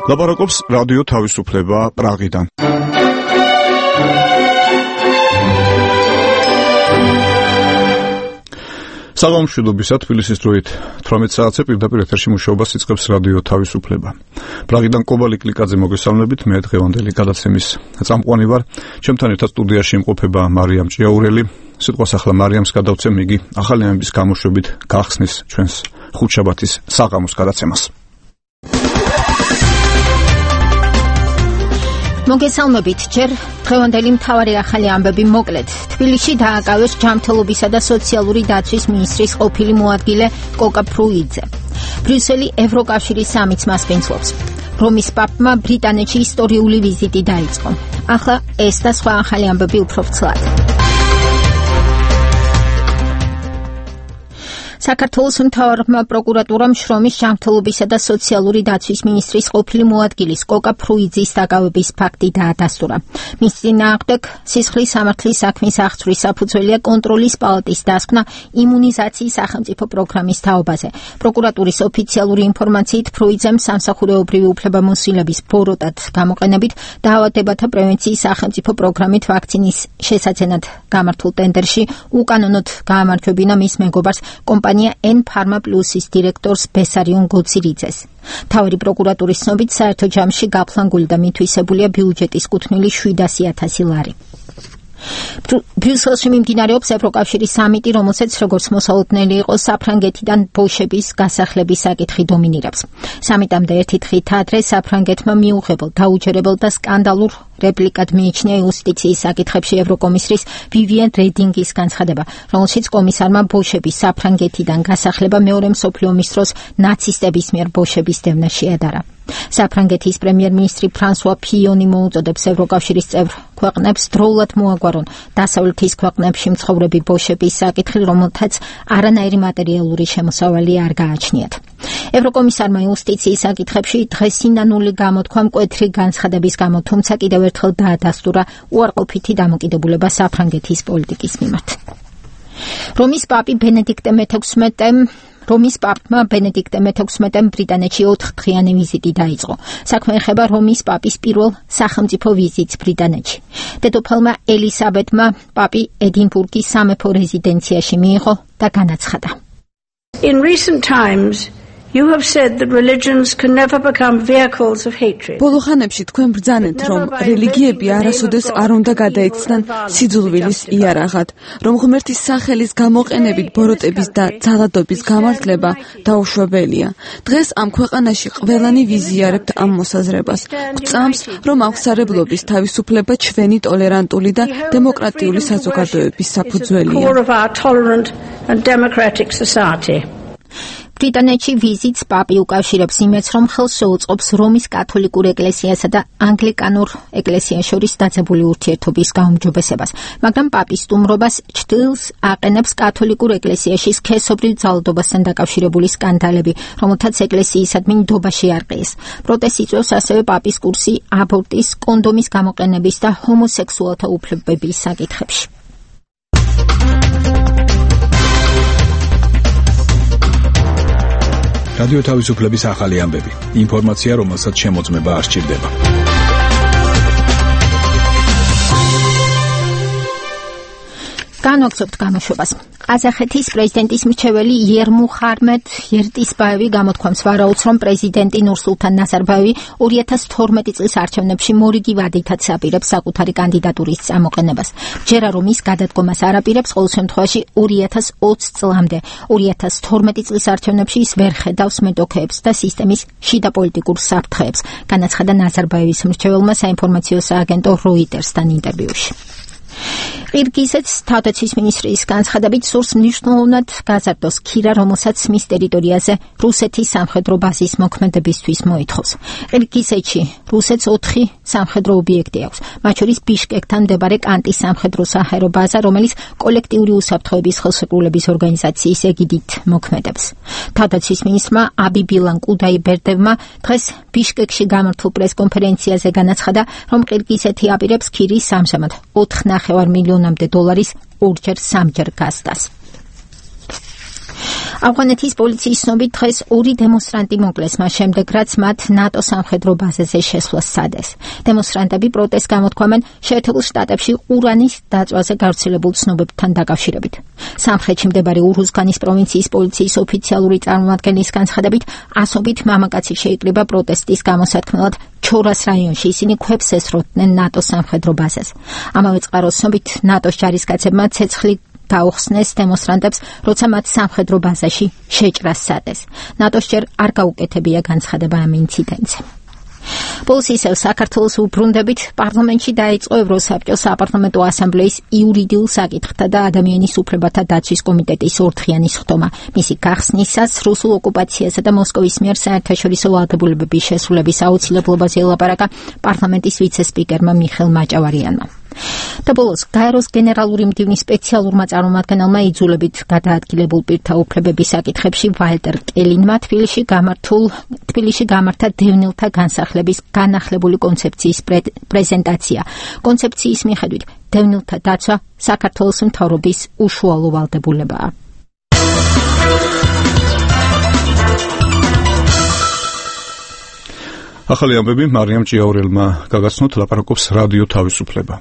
ლაპარაკობს რადიო თავისუფლება პრაღიდან. საღამომშვიდობისა თბილისის დროით 18 საათზე პირდაპირ ეთერში მუშაობას იწყებს რადიო თავისუფლება. პრაღიდან კობალი კლიკაძე მოგესალმებით, მე დღევანდელი გადაცემის წამყვანი ვარ. ჩემთან ერთად სტუდიაში იმყოფება მარიამ ჭიაურელი. სიტყვას ახლა მარიამს გადავცემ, იგი ახალი ამბის გამოშვებით გახსნის ჩვენს ხუთშაბათის საღამოს გადაცემას. მოგესალმებით, ჯერ დღევანდელი მთავარი ახალი ამბები მოკლედ. თბილისში დააკავეს ჯანმრთელობისა და სოციალური დაცვის მინისტრის ყოფილი მოადგილე კოკა ფრუიძე. ბრიუსელი ევროკავშირის სამიტს მასპინძლობს. რომის პაპმა ბრიტანეთში ისტორიული ვიზიტი დაიწყო. ახლა ეს და სხვა ახალი ამბები უფრო ვრცლად. საქართველოს მთავარმა პროკურატურამ შრომის ჯანმრთელობისა და სოციალური დაცვის მინისტრის ყოფილი მოადგილის კოკა ფრუიძის დაკავების ფაქტი დაადასტურა. მის წინააღმდეგ სისხლის სამართლის საქმის აღძვრის საფუძველია კონტროლის პალატის დასკვნა იმუნიზაციის სახელმწიფო პროგრამის თაობაზე. პროკურატურის ოფიციალური ინფორმაციით ფრუიძემ სამსახურეობრივი უფლებამოსილების ბოროტად გამოყენებით დაავადებათა პრევენციის სახელმწიფო პროგრამით ვაქცინის შესაძენად გამართულ ტენდერში უკანონოდ გაამარჯვებინა მის მეგობარს N-Pharma Plus-ის დირექტორს ბესარიონ გოცირიძეს. მთავარი პროკურატურის ცნობით საერთო ჯამში გაფლანგული და მითვისებულია ბიუჯეტის კუთვნილი 700,000 ლარი. ბრიუსელში მიმდინარეობს ევროკავშირის სამიტი, რომელსაც როგორც მოსალოდნელი იყო საფრანგეთიდან ბოშების გასახლების საკითხი დომინირებს. სამიტამდე ერთი დღით ადრე საფრანგეთმა მიუღებელ, დაუჯერებელ და სკანდალურ რეპლიკად მიიჩნია იუსტიციის საკითხებში ევროკომისრის ვივიენ რედინგის განცხადება, რომელშიც კომისარმა ბოშების საფრანგეთიდან გასახლება მეორე მსოფლიო ომის დროს ნაცისტების მიერ ბოშების დევნა შეადარა. საფრანგეთის პრემიერ-მინისტრი ფრანსუა ფიონი მოუწოდებს ევროკავშირის წევრ ქვეყნებს დროულად მოაგვარონ დასავლეთის ქვეყნებში მცხოვრები ბოშების საკითხი, რომელთაც არანაირი მატერიალური შემოსავალი არ გააჩნიათ. ევროკომისარმა იუსტიციის საკითხებში დღესინანული გამოთქვა მკვეთრი განცხადების გამო, თუმცა კიდევ ერთხელ დაადასტურა უარყოფითი დამოკიდებულება საფრანგეთის პოლიტიკის მიმართ. რომის პაპმა ბენედიქტე მე-16-მ ბრიტანეთში 4-დღიანი ვიზიტი დაიწყო. საქმე ეხება რომის პაპის პირველ სახელმწიფო ვიზიტს ბრიტანეთში. დედოფალმა ელისაბედმა პაპი ედინბურგის სამეფო რეზიდენციაში მიიღო და განაცხადა. In recent times You have said that religions can never become vehicles of hatred. ბოლო ხანებში თქვენ ბრძანეთ, რომ რელიგიები არასოდეს არ უნდა გადაეცნან სიძულვილის იარაღად, რომ ღმერთის სახელის გამოყენებით ბოროტების და ძალადობის გამართლება დაუშვებელია. დღეს ამ ქვეყანაში ყველანი ვიზიარებთ ამ მოსაზრებას. გვწამს, რომ აღმსარებლობის თავისუფლება ჩვენი ტოლერანტული და დემოკრატიული საზოგადოების საფუძველია. ბრიტანეთში ვიზიტს პაპი უკავშირებს იმედს, რომ ხელს შეუწყობს რომის კათოლიკურ ეკლესიასა და ანგლიკანურ ეკლესიას შორის დაძაბული ურთიერთობის გაუმჯობესებას, მაგრამ პაპის სტუმრობას ჭრილს აყენებს კათოლიკურ ეკლესიაში სქესობრივ ძალადობასთან დაკავშირებული სკანდალები, რომელთაც ეკლესიისადმი ნდობა შეარყიეს. პროტესტს იწვევს ასევე პაპის კურსი აბორტის, კონდომის გამოყენების და ჰომოსექსუალთა უფლებების საკითხებში. რადიო თავისუფლების ახალი ამბები. ინფორმაცია, რომელსაც შემოწმება არ სჭირდება. განვაგრძობთ გამოშვებას. ყაზახეთის პრეზიდენტის მრჩეველი იერმუხარმედ ертисбаеვი გამოთქვამს ვარაუდს, რომ პრეზიდენტი ნურსულთან ნაზარბაევი 2012 წლის არჩევნებში მორიგი ვადითაც აპირებს საკუთარი კანდიდატურის წამოყენებას. ჯერა რომ ის გადადგომას არ აპირებს, ყოველ შემთხვევაში 2020 წლამდე. 2012 წლის არჩევნებში ის ვერ ხედავს მეტოქეებს და სისტემის შიდა პოლიტიკურ საფრთხეებს, განაცხადა ნაზარბაევის მრჩეველმა საინფორმაციო სააგენტო როიტერსთან ინტერვიუში. ყირგიზეთს თავდაცვის მინისტრის განცხადებით სურს მნიშვნელოვნად გაზარდოს ქირა, რომელსაც მის ტერიტორიაზე რუსეთის სამხედრო ბაზის მოქმედებისთვის მოითხოვს. ყირგიზეთში რუსეთს 4 სამხედრო ობიექტი აქვს, მათ შორის ბიშკეკთან მდებარე კანტის სამხედრო საჰაერო ბაზა, რომელიც კოლექტიური უსაფრთხოების ხელშეკრულების ორგანიზაციის ეგიდით მოქმედებს. თავდაცვის მინისტრმა აბიბილან კუდაიბერდევმა დღეს ბიშკეკში გამართულ პრესკონფერენციაზე განაცხადა, რომ ყირგიზეთი აპირებს ქირის ამჟამად 4,5 მილიონამდე დოლარის ორჯერ სამჯერ გასდას. ავღანეთის პოლიციის ცნობით დღეს 2 დემონსტრანტი მოკლეს მას შემდეგ, რაც მათ ნატო სამხედრო ბაზაზე შესვლა სცადეს. დემონსტრანტები პროტესტს გამოთქვამენ შეერთებულ შტატებში ყურანის დაწვაზე გავრცელებულ ცნობებთან დაკავშირებით. სამხრეთში მდებარე ურუზგანის პროვინციის პოლიციის ოფიციალური წარმომადგენლის განცხადებით, ასობით მამაკაცი შეიკრიბა პროტესტის გამოსათქმელად ჩორას რაიონში. ისინი ქვებს ესროდნენ ნატოს სამხედრო ბაზას. ამავე წყაროს ცნობით, ნატოს ჯარისკაცებმა ცეცხლი გაუხსნეს დემონსტრანტებს, როცა მათ სამხედრო ბაზაში შეჭრა სცადეს. ნატოს ჯერ არ გაუკეთებია განცხადება ამ ინციდენტზე. ბოლოს ისევ საქართველოს უბრუნდებით პარლამენტში დაიწყო ევროსაბჭოს საპარლამენტო ასამბლეის იურიდიულ საკითხთა და ადამიანის უფლებათა დაცვის კომიტეტის ორდღიანი სხდომა. მისი გახსნისას რუსულ ოკუპაციასა და მოსკოვის მიერ საერთაშორისო ვალდებულებების შესრულების აუცილებლობაზე ელაპარაკა პარლამენტის ვიცე-სპიკერმა მიხეილ მაჭავარიანმა. და ბოლოს გაეროს გენერალური მდივნის სპეციალურმა წარმომადგენელმა იძულებით გადაადგილებულ პირთა უფლებების საკითხებში ვალტერ კელინმა თბილისში გამართა დევნილთა განსახლების განახლებული კონცეფციის პრეზენტაცია. კონცეფციის მიხედვით დევნილთა დაცვა საქართველოს მთავრობის უშუალო ვალდებულებაა. ახალი ამბები მარიამ ჭიაურელმა გაგაცნოთ, ლაპარაკობს რადიო თავისუფლება.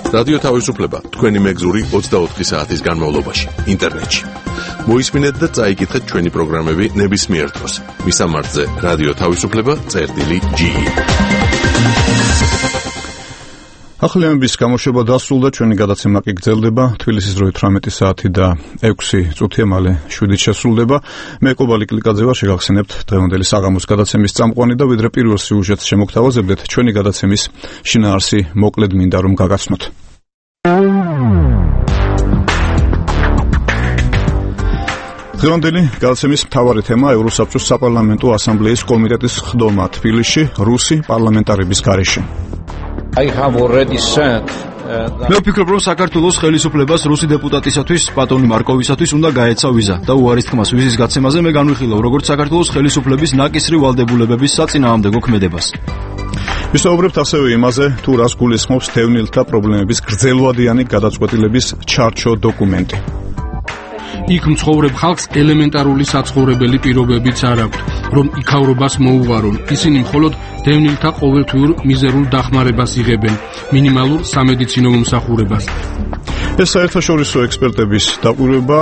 რადიო თავისუფლება თქვენი მეგზური 24 საათის განმავლობაში ინტერნეტში. მოისმინეთ და წაიკითხეთ ჩვენი პროგრამები ნებისმიერ დროს. მისამართზე რადიო თავისუფლება.ge. ახალი ამბების გამოშვება დასრულდა, ჩვენი გადაცემა კი გრძელდება. თბილისის დროით 18 საათი და 6 წუთია, მალე 7-ით შესრულდება. მე კობალი კლიკაძე ვარ, შეგახსენებთ დღევანდელი საღამოს გადაცემის წამყვანი და ვიდრე პირველ სიუჟეტს შემოგთავაზებდეთ, ჩვენი გადაცემის შინაარსი მოკლედ მინდა რომ გაგაცნოთ. დღევანდელი გადაცემის მთავარი თემა ევროსაბჭოს საპარლამენტო ასამბლეის კომიტეტის სხდომა თბილისში რუსი პარლამენტარების გარეშე. მე ვფიქრობ, რომ საქართველოს ხელისუფლებას რუსი დეპუტატისათვის, პატონი მარკოვისათვის უნდა გაეცა ვიზა და უარის თქმას ვიზის გაცემაზე მე განვიხილავ, როგორც საქართველოს ხელისუფლების ნაკისრი ვალდებულებების საწინააღმდეგო ქმედებას. ვისაუბრებთ ასევე იმაზე, თუ რას გულისხმობს დევნილთა პრობლემების გრძელვადიანი გადაწყვეტილების ჩარჩო დოკუმენტი. იქ მცხოვრებ ხალხს ელემენტარული საცხოვრებელი პირობებიც არ აქვთ, რომ იქავრობას მოუღარონ. ისინი მხოლოდ დევნილთა ყოველთვიურ მიზერულ დახმარებას იღებენ, მინიმალურ სამედიცინო მომსახურებას. ეს საერთაშორისო ექსპერტების დაკვირვება,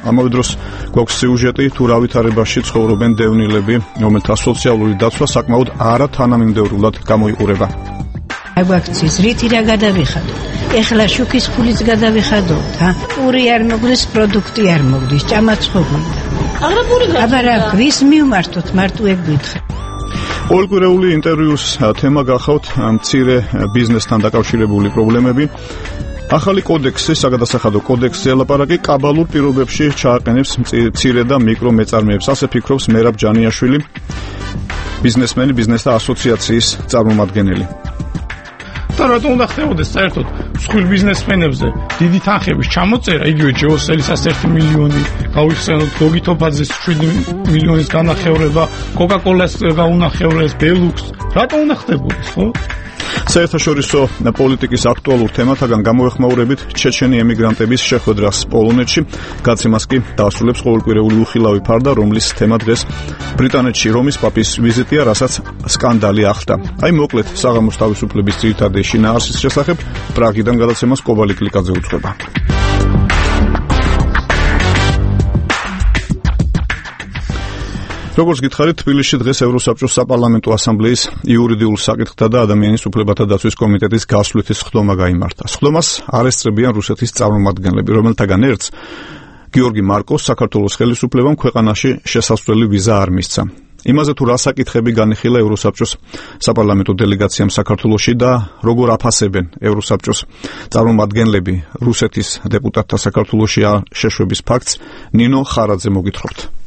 ამავე დროს გვაქვს სიუჟეტი, თუ რა ვითარებაში ცხოვრობენ დევნილები, რომელთა სოციალური დაცვა საკმაოდ არათანამიმდევრულად გამოიყურება. აგვაქციის რითი რა გადავიხადოთ? ეხლა შუქის ფულიც გადავიხადოთ, პური არ მოგდის, პროდუქტი არ მოგდის, ჭამაცხობია. აბა რა ვის მივმართოთ, მარტო ეგ გითხრა. ყოველკვირეული ინტერვიუს თემა გახავთ მცირე ბიზნესთან დაკავშირებული პრობლემები. ახალი კოდექსი, საგადასახადო კოდექსი ელაპარაკი კაბალურ პირობებში ჩააყენებს მცირე და მიკრო მეწარმეებს. ასე ფიქრობს მერაბ ჯანიაშვილი, ბიზნესმენი, ბიზნესთა ასოციაციის წარმომადგენელი. და რატომ უნდა ხდებოდეს საერთოდ მსხვილ ბიზნესმენებზე დიდი თანხების ჩამოწერა, იგივე ჯეოსელისას 1 მილიონი გავიხსენოთ, გოგითოფაძეს 7 მილიონის განახევრება, კოკაკოლას გაუნახევრეს, ბელუქს, რატომ უნდა ხდებოდეს, ხო? საერთაშორისო პოლიტიკის აქტუალურ თემათაგან გამოეხმაურებით ჩეჩენი ემიგრანტების შეხვედრას პოლონეთში. გაცემას კი დაასრულებს ყოველკვირეული უხილავი ფარდა, რომლის თემა დღეს ბრიტანეთში რომის პაპის ვიზიტია, რასაც სკანდალი ახლდა. აი მოკლედ საღამოს თავისუფლების ძირითადი შინაარსის შესახებ პრაღიდან გადაცემას კობალი კლიკაძე უძღვება. როგორც გითხარით, თბილისში დღეს ევროსაბჭოს საპარლამენტო ასამბლეის იურიდიულ საკითხთა და ადამიანის უფლებათა დაცვის კომიტეტის გასვლითი სხდომა გაიმართა. სხდომას არ ესწრებიან რუსეთის წარმომადგენლები, რომელთაგან ერთს გიორგი მარკოს საქართველოს ხელისუფლებამ ქვეყანაში შესასვლელი ვიზა არ მისცა. იმაზე თუ რა საკითხები განიხილა ევროსაბჭოს საპარლამენტო დელეგაციამ საქართველოში და როგორ აფასებენ ევროსაბჭოს წარმომადგენლები რუსეთის დეპუტატთა საქართველოში შეშვების ფაქტს, ნინო ხარაძე მოგითხრობთ.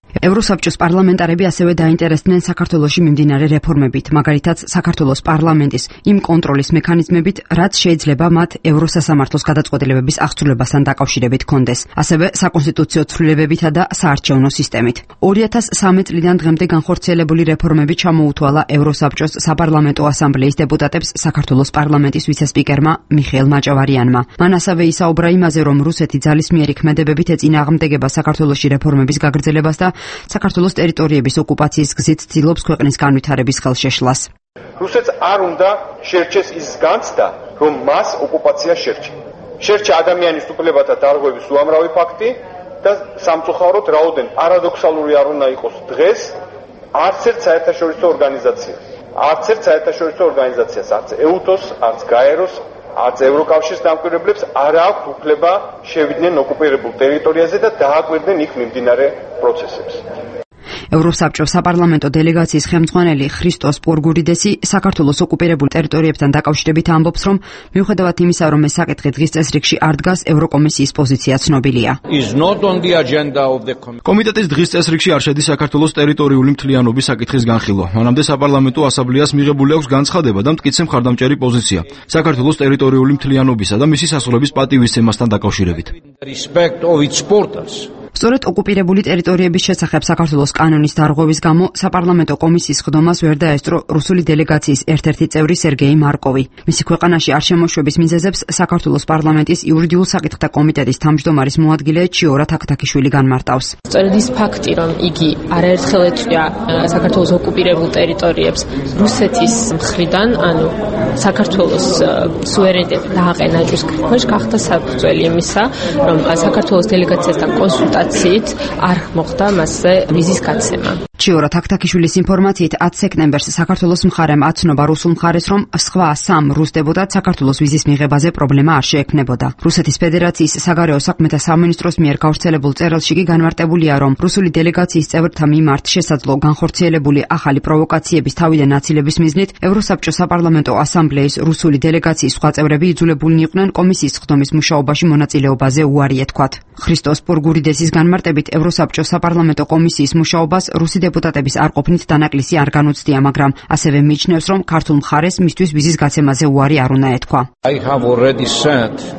ევროსაბჭოს პარლამენტარები ასევე დაინტერესდნენ საქართველოში მიმდინარე რეფორმებით, მაგალითად საქართველოს პარლამენტის იმ კონტროლის მექანიზმებით, რაც შეიძლება მათ ევროსასამართლოს გადაწყვეტილებების აღსრულებასთან დაკავშირებით ჰქონდეს, ასევე საკონსტიტუციო ცვლილებებითა და საარჩევნო სისტემით. 2013 წლიდან დღემდე განხორციელებული რეფორმები ჩამოუთვალა ევროსაბჭოს საპარლამენტო ასამბლეის დეპუტატებს საქართველოს პარლამენტის ვიცე-სპიკერმა მიხეილ მაჭავარიანმა. მან ასევე ისაუბრა იმაზე, რომ რუსეთი ძალისმიერი ქმედებებით ეწინააღმდეგება საქართველოში რეფორმების გაგრძელებას და საქართველოს ტერიტორიების ოკუპაციის გზით ცდილობს ქვეყნის განვითარების ხელშეშლას. რუსეთს არ უნდა შერჩეს ის განცდა, რომ მას ოკუპაცია შერჩა. შერჩა ადამიანის უფლებათა დარღვევის უამრავი ფაქტი და სამწუხაროდ რაოდენ პარადოქსალური არ უნდა იყოს დღეს არც ერთ საერთაშორისო ორგანიზაციას, არც ეუთოს, არც გაეროს, არც ევროკავშირის დამკვირვებლებს არ აქვს უფლება შევიდნენ ოკუპირებულ ტერიტორიაზე და დააკვირდნენ იქ მიმდინარე პროცესებს. ევროსაბჭოს საპარლამენტო დელეგაციის ხელმძღვანელი ხრისტოს პურგურიდესი საქართველოს ოკუპირებულ ტერიტორიებთან დაკავშირებით ამბობს, რომ მიუხედავად იმისა, რომ ეს საკითხი დღის წესრიგში არ დგას, ევროკომისიის პოზიცია ცნობილია. კომიტეტის დღის წესრიგში არ შედის საქართველოს ტერიტორიული მთლიანობის საკითხის განხილვა. მანამდე საპარლამენტო ასამბლეას მიღებული აქვს განცხადება და მტკიცე მხარდამჭერი პოზიცია საქართველოს ტერიტორიული მთლიანობისა და მისი სასწავლების პატივისცემასთან დაკავშირებით. სწორედ ოკუპირებული ტერიტორიების შესახებ საქართველოს კანონის დარღვევის გამო საპარლამენტო კომისიის ხდომას ვერ დაესწრო რუსული დელეგაციის ერთ-ერთი წევრი სერგეი მარკოვი. მისი ქვეყანაში არ შემოშვების მიზეზებს საქართველოს პარლამენტის იურიდიულ საკითხთა კომიტეტის თავმჯდომარის მოადგილე ჩიორა თაქთაქიშვილი განმარტავს. სწორედ ის ფაქტი, რომ იგი არაერთხელ ეწვია საქართველოს ოკუპირებულ ტერიტორიებს რუსეთის მხრიდან, ანუ საქართველოს სუვერენიტეტი დააყენა ჯვრის ქვეშ, გახდა საფუძველი იმისა, რომ საქართველოს დელეგაციასთან კონსულტაციით არ მოხდა მასზე ვიზის გაცემა. ჩიორა თაქთაქიშვილის ინფორმაციით 10 სექტემბერს საქართველოს მხარემ აცნობა რუსულ მხარეს, რომ სხვა 3 რუს დეპუტატს საქართველოს ვიზის მიღებაზე პრობლემა არ შეექმნებოდა. რუსეთის ფედერაციის საგარეო საქმეთა სამინისტროს მიერ გავრცელებულ წერილში კი განმარტებულია, რომ რუსული დელეგაციის წევრთა მიმართ შესაძლო განხორციელებული ახალი პროვოკაციების თავიდან აცილების მიზნით ევროსაბჭოს საპარლამენტო ასამბლეის რუსული დელეგაციის სხვა წევრები იძულებულნი იყვნენ კომისიის ხდომის მუშაობაში მონაწილეობაზე უარი ეთქვათ. ხრისტოს პურგურიდესის განმარტებით ევროსაბჭოს საპარლამენტო კომისიის მუშაობას რუსი დეპუტატების არ ყოფნით დანაკლისი არ განუცდია, მაგრამ ასევე მიიჩნევს, რომ ქართულ მხარეს მისთვის ვიზის გაცემაზე უარი არ უნდა ეთქვა.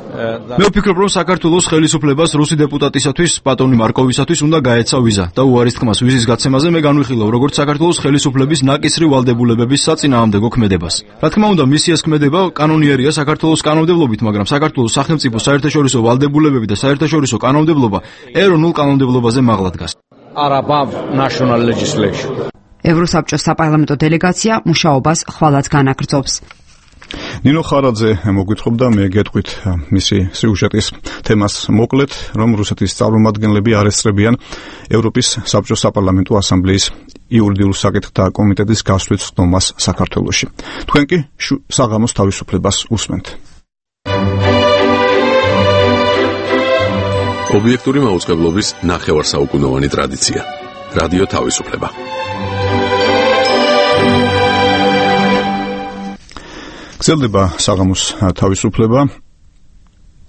მე ვფიქრობ, რომ საქართველოს ხელისუფლებას რუსი დეპუტატისათვის, პატონი მარკოვისათვის უნდა გაეცა ვიზა და უარის თქმას ვიზის გაცემაზე მე განვიხილავ როგორც საქართველოს ხელისუფლების ნაკისრი ვალდებულებების საწინააღმდეგო ქმედებას. რა თქმა უნდა, მისი ეს ქმედება კანონიერია საქართველოს კანონმდებლობით, მაგრამ საქართველოს სახელმწიფო საერთაშორისო ვალდებულებები და საერთაშორისო კანონმდებლობა ეროვნულ კანონმდებლობაზე მაღლა დგას. ევროსაბჭოს საპარლამენტო დელეგაცია მუშაობას ხვალაც განაგრძობს. ნინო ხარაძე მოგვითხრობდა, მე გეტყვით მისი სიუჟეტის თემას მოკლედ, რომ რუსეთის წარმომადგენლები არ ესწრებიან ევროპის საბჭოს საპარლამენტო ასამბლეის იურიდიულ საკითხთა კომიტეტის გასვლის ხდომას საქართველოში. თქვენ კი საღამოს თავისუფლებას უსმენთ. ობიექტური მაუწყებლობის ნახევარსაუკუნოვანი ტრადიცია. რადიო თავისუფლება. გრძელდება საღამოს თავისუფლება.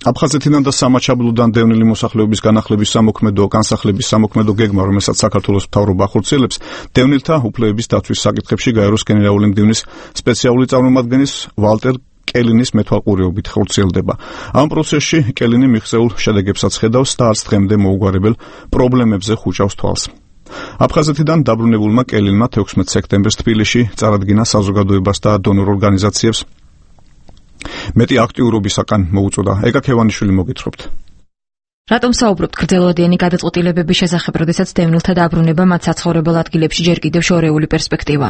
აფხაზეთიდან და სამაჩაბლოდან დევნილი მოსახლეობის განახლების სამოქმედო განსახლების სამოქმედო გეგმა, რომელსაც საქართველოს მთავრობა ახორციელებს, დევნილთა უფლებების დაცვის საკითხებში გაეროს გენერალური მდივნის სპეციალური წარმომადგენლის ვალტერ კელინის მეთვალყურეობით ხორციელდება. ამ პროცესში კელინი მიღწეულ შედეგებსაც ხედავს და არც დღემდე მოუგვარებელ პრობლემებზე ხუჭავს თვალს. აფხაზეთიდან დაბრუნებულმა კელინმა 16 სექტემბერს თბილისში წარადგინა საზოგადოებას და დონორ ორგანიზაციებს მეტი აქტიურობისაკენ მოუწოდა. ეკა ქევანიშვილი მოგითხრობთ. რატომ საუბრობთ გრძელვადიანი გადაწყვეტილებების შესახებ, როდესაც დევნილთა დაბრუნება მათ საცხოვრებელ ადგილებში ჯერ კიდევ შორეული პერსპექტივა?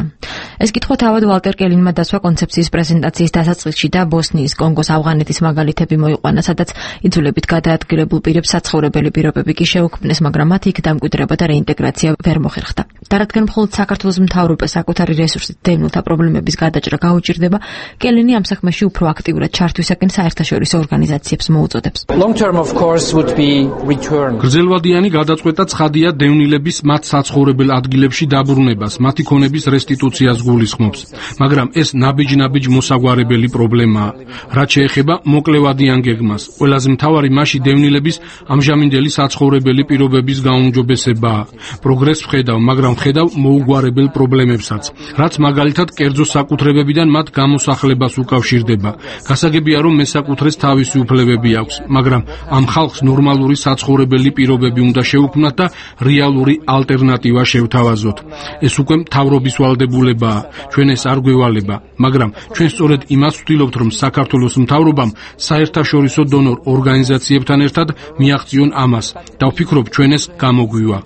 ეს კითხვა თავად ვალტერ კელინმა დასვა კონცეფციის პრეზენტაციის დასაწყისში და ბოსნიის, კონგოს, ავღანეთის მაგალითები მოიყვანა, სადაც იძულებით გადაადგილებულ პირებს საცხოვრებელი პირობები კი შეუქმნეს, მაგრამ მათ იქ დამკვიდრება და რეინტეგრაცია ვერ მოხერხდა. და რადგან მხოლოდ საქართველოს მთავრობას საკუთარი რესურსით დევნილთა პრობლემების გადაჭრა გაუჭირდება, კელენი ამ საქმეში უფრო აქტიურად ჩართვისაკენ საერთაშორისო ორგანიზაციებს მოუწოდებს. გრძელვადიანი გადაწყვეტა ცხადია დევნილების მათ საცხოვრებელ ადგილებში დაბრუნებას, მათი ქონების რესტიტუციას გულისხმობს, მაგრამ ეს ნაბიჯ-ნაბიჯ მოსაგვარებელი პრობლემაა. რაც შეეხება მოკლევადიან გეგმას, ყველაზე მთავარი მასში დევნილების ამჟამინდელი საცხოვრებელი პირობების გაუმჯობესებაა. პროგრესს ვხედავ, მაგრამ ვხედავ მოუგვარებელ პრობლემებსაც, რაც მაგალითად კერძო საკუთრებებიდან მათ გამოსახლებას უკავშირდება. გასაგებია, რომ მესაკუთრეს თავისი უფლებები აქვს, მაგრამ ამ ხალხს ნორმალური საცხოვრებელი პირობები უნდა შეუქმნათ და რეალური ალტერნატივა შევთავაზოთ. ეს უკვე მთავრობის ვალდებულებაა, ჩვენ ეს არ გვევალება, მაგრამ ჩვენ სწორედ იმას ვთვლობთ, რომ საქართველოს მთავრობამ საერთაშორისო დონორ ორგანიზაციებთან ერთად მიაღწიონ ამას და ვფიქრობ, ჩვენ ეს გამოგვივა.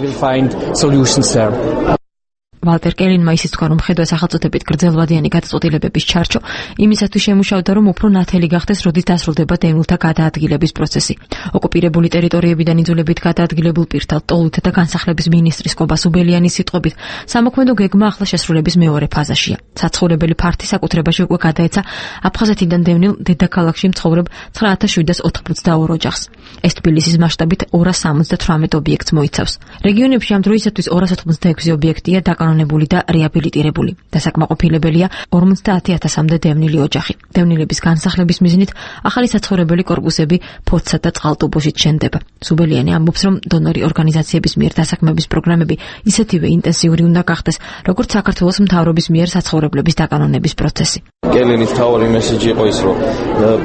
ვალტერ კელინმა ისიც თქვა, რომ ხედვა სახელმწიფოებით გრძელვადიანი გადაწყვეტილებების ჩარჩო იმისათვის შემუშავდა, რომ უფრო ნათელი გახდეს, როდის დასრულდება დევნილთა გადაადგილების პროცესი. ოკუპირებული ტერიტორიებიდან იძულებით გადაადგილებულ პირთა ტოლით და განსახლების მინისტრის კობა სუბელიანის სიტყვებით, სამოქმედო გეგმა ახლა შესრულების მეორე ფაზაშია. საცხოვრებელი ფართი საკუთრებაში უკვე გადაეცა აფხაზეთიდან დევნილ დედაქალაქში მცხოვრებ 9782 ოჯახს. ეს თბილისის მასშტაბით 278 ობიექტს მოიცავს. რეგიონებში ამ დროისათვის 286 ობიექტია დაკანონებული და რეაბილიტირებული. დასაკმაყოფილებელია 50000-მდე დევნილი ოჯახი. დევნილების განსახლების მიზნით ახალი საცხოვრებელი კორპუსები ფოცსა და წყალტუბოში შენდება. სუბელიანი ამბობს, რომ დონორი ორგანიზაციების მიერ დასაქმების პროგრამები ისეთივე ინტენსიური უნდა გახდეს, როგორც საქართველოს მთავრობის მიერ საცხოვრებლების დაკანონების პროცესი. კელენის მთავარი მესიჯი იყო ის, რომ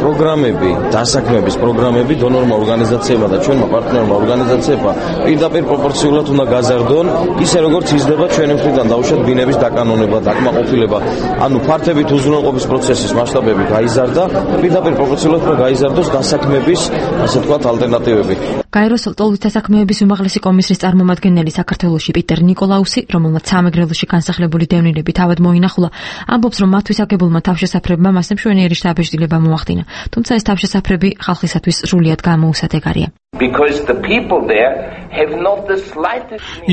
პროგრამები, დასაქმების პროგრამები დონორმა ორგანიზაციებმა და ჩვენმა პარტნიორმა ორგანიზაციებმა პირდაპირ პროპორციულად უნდა გაზარდონ, ისე როგორც იზრდება ჩვენი მხრიდან დაუშვათ ბინების დაკანონება, დაკმაყოფილება, ანუ ფართებით უზრუნველყოფის პროცესის მასშტაბები გაიზარდა, პირდაპირ პროპორციულად უნდა გაიზარდოს დასაქმების, ასე ვთქვათ, ალტერნატივები. გაეროს ტოლვის დასაქმების უმაღლესი კომისრის წარმომადგენელი საქართველოში პიტერ ნიკოლაუსი, რომელმაც სამეგრელოში განსახლებული დევნილები თავად მოინახულა, ამბობს, რომ მათთვის აგებულმა თავშესაფრებმა მასზე მშვენიერი შთაბეჭდილება მოახდინა. თუმცა ეს თავშესაფრები ხალხისათვის სრულიად გამოუსადეგარია.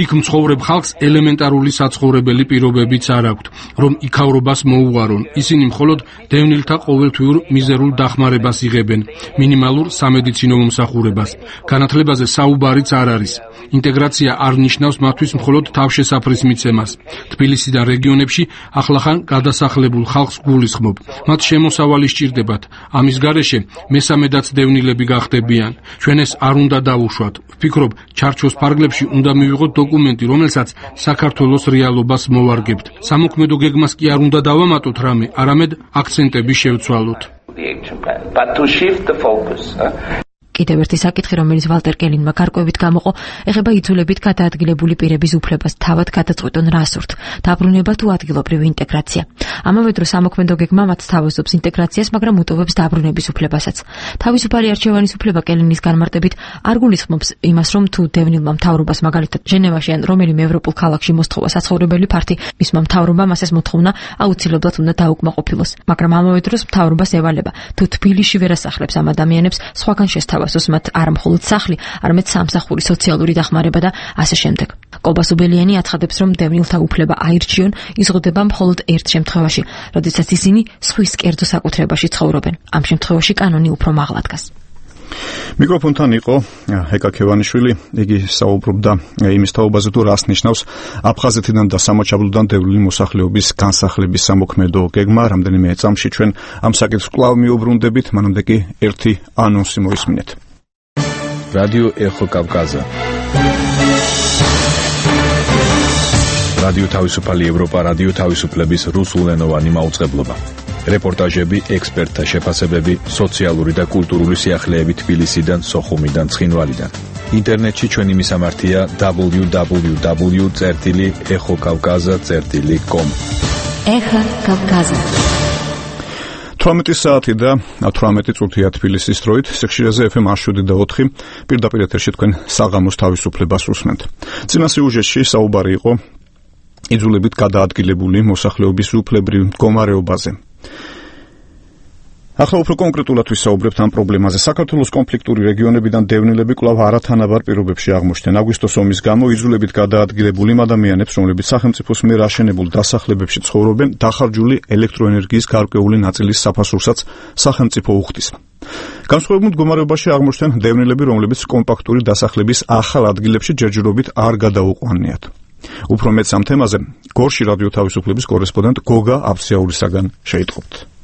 იქ მცხოვრებ ხალხს ელემენტარული საცხოვრებელი პირობებიც არ აქვთ, რომ იქავრობას მოუღარონ. ისინი მხოლოდ დევნილთა ყოველთვიურ მიზერულ დახმარებას იღებენ, მინიმალურ სამედიცინო მომსახურებას. განათლებაზე საუბარიც არ არის. ინტეგრაცია არ ნიშნავს მათთვის მხოლოდ თავშესაფრის მიცემას. თბილისიდან რეგიონებში ახლახან გადასახლებულ ხალხს გულისხმობ. მათ შემოსავალი სჭირდებათ. ამის გარეშე მესამედაც დევნილები გახდებიან. ჩვენ ეს არ უნდა დავუშვათ. ვფიქრობ, ჩარჩოს ფარგლებში უნდა მივიღოთ დოკუმენტი, რომელსაც საქართველოს რეალობას მოვარგებთ. სამოქმედო გეგმას კი არ უნდა დავამატოთ რამე, არამედ აქცენტები შევცვალოთ. კიდევ ერთი საკითხი, რომელიც ვალტერ კელინმა გარკვევით გამოყო, ეხება იძულებით გადაადგილებული პირების უფლებას თავად გადაწყვეტონ რა სურთ, დაბრუნება თუ ადგილობრივი ინტეგრაცია. ამავე დროს სამოქმედო გეგმა მათ თავაზობს ინტეგრაციას, მაგრამ უტოვებს დაბრუნების უფლებასაც. თავისუფალი არჩევანის უფლება კელინის განმარტებით არ გულისხმობს იმას, რომ თუ დევნილმა მთავრობას მაგალითად ჟენევაში ან რომელიმე ევროპულ ქალაქში მოსთხოვა საცხოვრებელი ფართი, მისმა მთავრობამ ასეს მოთხოვნა აუცილებლად უნდა დაუკმაყოფილოს. მაგრამ ამავე დროს მთავრობას ევალება, თუ თბილისში ვერ ასახლებს ამ ადამიანებს, სხვაგან შესთავაზოს მათ არა მხოლოდ სახლი, არამედ სამსახური, სოციალური დახმარება და ასე შემდეგ. კობა სუბელიანი აცხადებს, რომ დევნილთა უფლება აირჩიონ იზღუდება მხოლოდ ერთ შემთხვევაში, როდესაც ისინი სხვის კერძო საკუთრებაში ცხოვრობენ. ამ შემთხვევაში კანონი უფრო მაღლა დგას. მიკროფონთან იყო ეკა ქევანიშვილი, იგი საუბრობდა იმის თაობაზე, თუ რას ნიშნავს აფხაზეთიდან და სამაჩაბლოდან დევნილი მოსახლეობის განსახლების სამოქმედო გეგმა. რამდენიმე წამში ჩვენ ამ საკითხს კვლავ მიუბრუნდებით, მანამდე კი ერთი ანონსი მოისმინეთ. რადიო ეხო კავკაზა. რადიო თავისუფალი ევროპა, რადიო თავისუფლების რუსულენოვანი მაუწყებლობა. რეპორტაჟები, ექსპერტთა შეფასებები, სოციალური და კულტურული სიახლეები თბილისიდან, სოხუმიდან, ცხინვალიდან. ინტერნეტში ჩვენი მისამართია www.ეხოკავკაზა.com. ეხა კავკაზა. 18 საათი და 18 წუთია თბილისის დროით, სიხშირეზე FM 107.4 პირდაპირ ეთერში თქვენ საღამოს თავისუფლებას უსმენთ. წინა სიუჟეტში საუბარი იყო იძულებით გადაადგილებული მოსახლეობის უფლებრივ მდგომარეობაზე. ახლა უფრო კონკრეტულად ვისაუბრებთ ამ პრობლემაზე. საქართველოს კონფლიქტური რეგიონებიდან დევნილები კვლავ არათანაბარ პირობებში აღმოჩნდნენ. აგვისტოს ომის გამო იძულებით გადაადგილებული ადამიანებს, რომლებიც სახელმწიფოს მიერ აშენებულ დასახლებებში ცხოვრობენ, დახარჯული ელექტროენერგიის გარკვეული ნაწილის საფასურსაც სახელმწიფო უხდის. განსხვავებულ მდგომარეობაში აღმოჩნდნენ დევნილები, რომლებიც კომპაქტური დასახლების ახალ ადგილებში ჯერჯერობით არ გადაუყვანიათ. უფრო მეტს ამ თემაზე გორში რადიო თავისუფლების კორესპონდენტ გოგა აფციაურისაგან შეიტყობთ.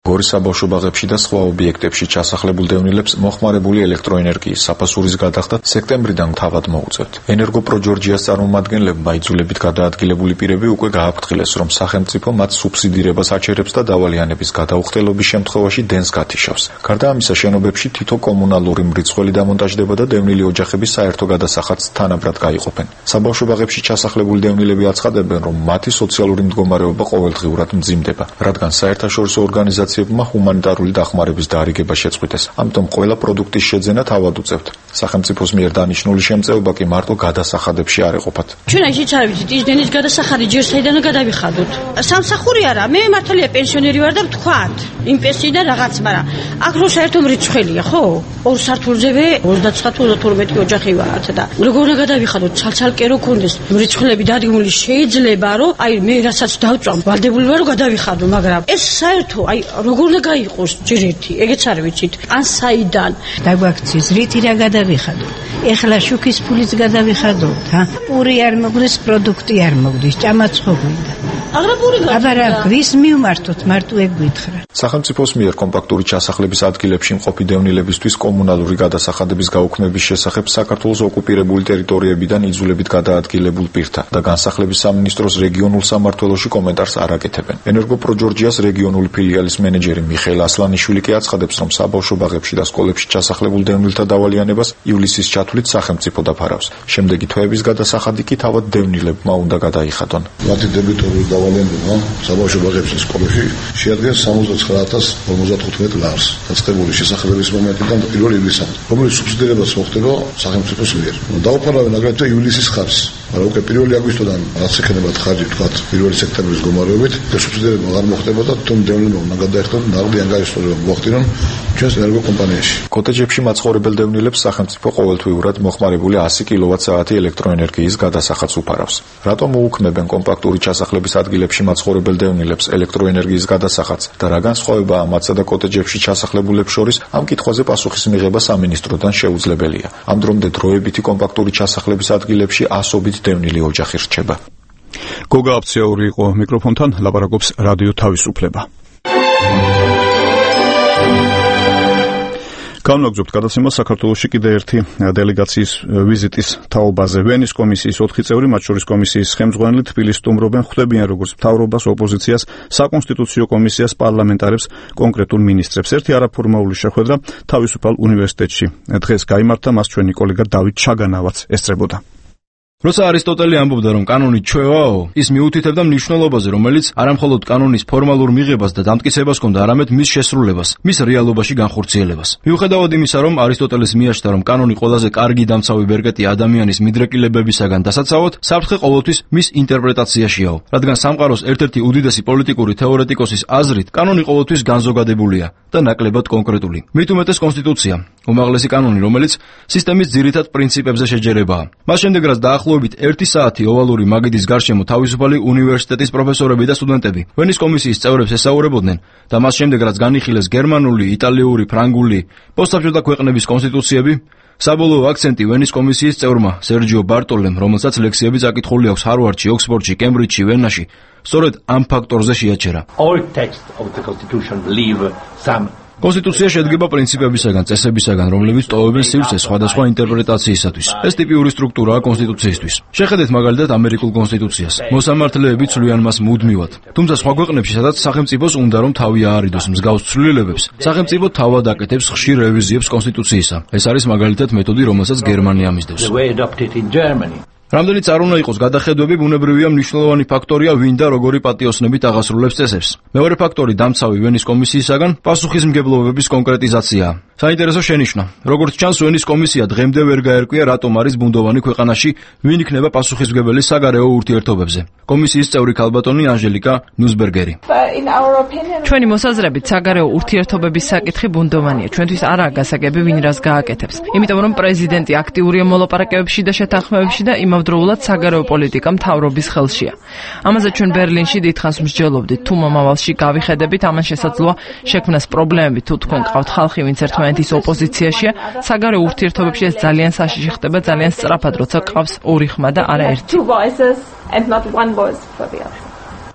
გორის საბავშვო ბაღებში და სხვა ობიექტებში ჩასახლებულ დევნილებს მოხმარებული ელექტროენერგიის საფასურის გადახდა სექტემბრიდან თავად მოუწევთ. ენერგოპრო ჯორჯიას წარმომადგენლებმა იძულებით გადაადგილებული პირები უკვე გააფრთხილეს, რომ სახელმწიფო მათ სუბსიდირებას აჩერებს და დავალიანების გადაუხდელობის შემთხვევაში დენს გათიშავს. გარდა ამისა, შენობებში თითო კომუნალური მრიცხველი დამონტაჟდება და დევნილი ოჯახების საერთო გადასახადს თანაბრად გაიყოფენ. საბავშვო ბაღებში ჩასახლებული დევნილები აცხადებენ, რომ მათი სოციალური მდგომარეობა ყოველდღიურად მძიმდება, რადგან საერთაშორისო ორგანიზაციებმა ჰუმანიტარული დახმარების დაარიგება შეწყვიტეს. ამიტომ ყველა პროდუქტის შეძენა თავად უწევთ. სახელმწიფოს მიერ დანიშნული შემწეობა კი მარტო გადასახადებში არ ეყოფათ. ჩვენ აიჩიც არ ვიცით, ის დენის გადასახადი ჯერ საიდან გადავიხადოთ. სამსახური არა, მე მართალია პენსიონერი ვარ და ვთქვათ, იმ პენსიიდან რაღაც, მაგრამ აქ რო საერთო მრიცხველია, ხო? ორ სართულზევე 29-32 ოჯახი ვართ და როგორ უნდა გადავიხადოთ, ცალ-ცალკე რო კონდეს მრიცხველები დადგმული, შეიძლება რომ აი მე რასაც დავწვამ, ვალდებული ვარ რომ გადავიხადო, მაგრამ ეს საერთო აი როგორ უნდა გაიყოს ჯერ ერთი, ეგეც არ ვიცით. ან საიდან დაგვაქციის რითი რა გადავიხადოთ? ეხლა შუქის ფულიც გადავიხადოთ, პური არ მოგდეს, პროდუქტი არ მოგდეს, ჭამაც ხო გვინდა. აგრაპური გადა. აბა ვის მივმართოთ, მარტო ეგ გითხრა. სახელმწიფოს მიერ კომპაქტური ჩასახლების ადგილებში მყოფი დევნილებისთვის კომუნალური გადასახადების გაუქმების შესახებ საქართველოს ოკუპირებული ტერიტორიებიდან იძულებით გადაადგილებულ პირთა და განსახლების სამინისტროს რეგიონულ სამმართველოში კომენტარს არ აკეთებენ. ენერგოპრო ჯორჯიას რეგიონული ფილიალის მენეჯერი მიხეილ ასლანიშვილი კი აცხადებს, რომ საბავშვო ბაღებში და სკოლებში ჩასახლებულ დევნილთა დავალიანებას ივლისის ჩათვლით სახელმწიფო დაფარავს. შემდეგი თვეების გადასახადი კი თავად დევნილებმა უნდა გადაიხადონ. მათი დებიტორული დავალიანება საბავშვო ბაღებში და სკოლებში შეადგენს 69,055 ლარს დაწყებული შესახლებების მომენტიდან პირველ ივლისამდე, რომელიც სუბსიდირებას მოხდება სახელმწიფოს მიერ. დაუფარავენ აგრეთვე ივლისის ხარჯს, მაგრამ უკვე 1 აგვისტოდან რაც ექნებათ ხარჯი თქვათ 1 სექტემბრის გომარებით და სუბსიდირება არ მოხდება და თუმ დევნილებმა უნდა გადაიხადონ ნაღდი ანგარიშტორება მოახდინონ ჩვენს ენერგო კომპანიაში. კოტეჯებში მაცხოვრებელ დევნილებს სახელმწიფო ყოველთვიურად მოხმარებული 100 კილოვატ-საათი ელექტროენერგიის გადასახადს უფარავს. რატომ მოუქმებენ კომპაქტური ჩასახლების ადგილებში მაცხოვრებელ დევნილებს ელექტროენერგიის გადასახადს და რა განსხვავებაა მათსა და კოტეჯებში ჩასახლებულებს შორის, ამ კითხვაზე პასუხის მიღება სამინისტროდან შეუძლებელია. ამ დრომდე დროებითი კომპაქტური ჩასახლების ადგილებში ასობით დევნილი ოჯახი რჩება. გოგა აფციაური იყო მიკროფონთან, ლაპარაკობს რადიო თავისუფლება. განვაგრძობთ გადაცემა საქართველოში კიდე ერთი დელეგაციის ვიზიტის თაობაზე. ვენის კომისიის 4 წევრი, მათ შორის კომისიის ხელმძღვანელი თბილისს სტუმრობენ, ხვდებიან როგორც მთავრობას, ოპოზიციას, საკონსტიტუციო კომისიას, პარლამენტარებს, კონკრეტულ მინისტრებს. ერთი არაფორმალური შეხვედრა თავისუფალ უნივერსიტეტში დღეს გაიმართა, მას ჩვენი კოლეგა დავით ჩაგანავაც ესწრებოდა. როცა არისტოტელი ამბობდა, რომ კანონი ჩვევაო, ის მიუთითებდა მნიშვნელობაზე, რომელიც არამხოლოდ კანონის ფორმალურ მიღებას და დამტკიცებას ჰქონდა, არამედ მის შესრულებას, მის რეალობაში განხორციელებას. მიუხედავად იმისა, რომ არისტოტელეს მიაჩნდა, რომ კანონი ყველაზე კარგი დამცავი ბერკეტი ადამიანის მიდრეკილებებისაგან დასაცავად, საფრთხე ყოველთვის მის ინტერპრეტაციაშიაო, რადგან სამყაროს ერთ-ერთი უდიდესი პოლიტიკური თეორეტიკოსის აზრით, კანონი ყოველთვის განზოგადებულია და ნაკლებად კონკრეტული. მით უმეტეს კონსტიტუცია, უმაღლესი კანონი, რომელიც სისტემის ძირითად პრინციპებზე შეჯერებაა. მას შემდეგ რაც დაახლოებით 1 საათი ovალური მაგიდის გარშემო თავისუფალი უნივერსიტეტის პროფესორები და სტუდენტები ვენის კომისიის წევრებს ესაუბრებოდნენ და მას შემდეგ რაც განიხილეს გერმანული, იტალიური, ფრანგული, პოსტსაბჭოთა ქვეყნების კონსტიტუციები, საბოლოო აქცენტი ვენის კომისიის წევრმა სერჯიო ბარტოლემ, რომელსაც ლექსიები წაკითხული აქვს ჰარვარდში, ოქსფორდში, კემბრიჯში, ვენაში, სწორედ ამ ფაქტორზე შეაჩერა. კონსტიტუცია შედგება პრინციპებისაგან, წესებისაგან, რომლებიც ტოვებენ სივრცეს სხვადასხვა ინტერპრეტაციისათვის. ეს ტიპიური სტრუქტურაა კონსტიტუციისთვის. შეხედეთ მაგალითად ამერიკულ კონსტიტუციას. მოსამართლეები ცვლიან მას მუდმივად. თუმცა სხვა ქვეყნებში, სადაც სახელმწიფოს უნდა რომ თავი აარიდოს მსგავს ცვლილებებს, სახელმწიფო თავად აკეთებს ხშირ რევიზიებს კონსტიტუციისა. ეს არის მაგალითად მეთოდი, რომელსაც გერმანია მისდევს. რამდენიც არ უნდა იყოს გადახედვები, ბუნებრივია მნიშვნელოვანი ფაქტორია ვინ და როგორი პატიოსნებით აღასრულებს წესებს. მეორე ფაქტორი დამცავი ვენის კომისიისაგან პასუხისმგებლობების კონკრეტიზაციაა. საინტერესო შენიშვნა. როგორც ჩანს, ვენის კომისია დღემდე ვერ გაერკვია, რატომ არის ბუნდოვანი ქვეყანაში, ვინ იქნება პასუხისმგებელი საგარეო ურთიერთობებზე. კომისიის წევრი ქალბატონი ანჟელიკა ნუსბერგერი. ჩვენი მოსაზრებით, საგარეო ურთიერთობების საკითხი ბუნდოვანია. ჩვენთვის არაა გასაგები, ვინ რას გააკეთებს. იმიტომ რომ პრეზიდენტი აქტიურია მოლაპარაკებებში და შეთანხმებებში და იმავდროულად საგარეო პოლიტიკა მთავრობის ხელშია. ამაზე ჩვენ ბერლინში დიდხანს მსჯელობდით. თუ მომავალში გავიხედებით, ამან შესაძლოა შექმნას პრობლემები, თუ თქვენ ყავთ ხალხი, ვინც ერთმანეთის ოპოზიციაშია, საგარეო ურთიერთობებში ეს ძალიან საშიში ხდება, ძალიან სწრაფად, როცა ყავს ორი ხმა და არა ერთი.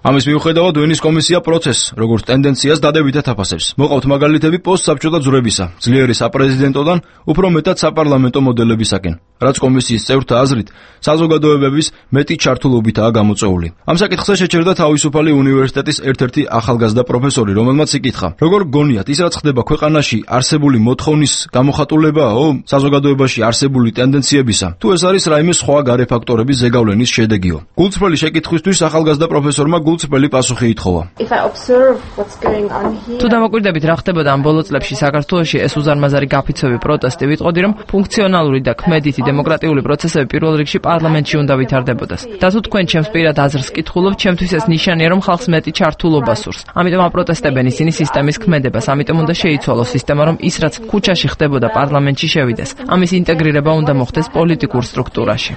ამის მიუხედავად ვენის კომისია პროცესს, როგორც ტენდენციას დადებითად აფასებს. მოყავთ მაგალითები პოსტსაბჭოთა ძვრებისა, ძლიერი საპრეზიდენტოდან უფრო მეტად საპარლამენტო მოდელებისაკენ, რაც კომისიის წევრთა აზრით საზოგადოებების მეტი ჩართულობითაა გამოწვეული. ამ საკითხზე შეჩერდა თავისუფალი უნივერსიტეტის ერთ-ერთი ახალგაზრდა პროფესორი, რომელმაც იკითხა, როგორ გონიათ ის რაც ხდება ქვეყანაში არსებული მოთხოვნის გამოხატულებაო საზოგადოებაში არსებული ტენდენციებისა, თუ ეს არის რაიმე სხვა გარე ფაქტორების ზეგავლენის შედეგიო. გულწრფელი შეკითხვისთვის ახალგაზრდა პროფესორმა გულწრფელი პასუხი ითხოვა. თუ დამოკვირდებით რა ხდებოდა ამ ბოლო წლებში საქართველოში, ეს უზარმაზარი გაფიცვები, პროტესტი, ვიტყოდი რომ ფუნქციონალური და ქმედითი დემოკრატიული პროცესები პირველ რიგში პარლამენტში უნდა ვითარდებოდეს. და თუ თქვენ ჩემს პირად აზრს კითხულობთ, ჩემთვის ეს ნიშანია, რომ ხალხს მეტი ჩართულობა სურს. ამიტომ აპროტესტებენ ისინი სისტემის ქმედებას, ამიტომ უნდა შეიცვალოს სისტემა, რომ ის რაც ქუჩაში ხდებოდა პარლამენტში შევიდეს. ამის ინტეგრირება უნდა მოხდეს პოლიტიკურ სტრუქტურაში.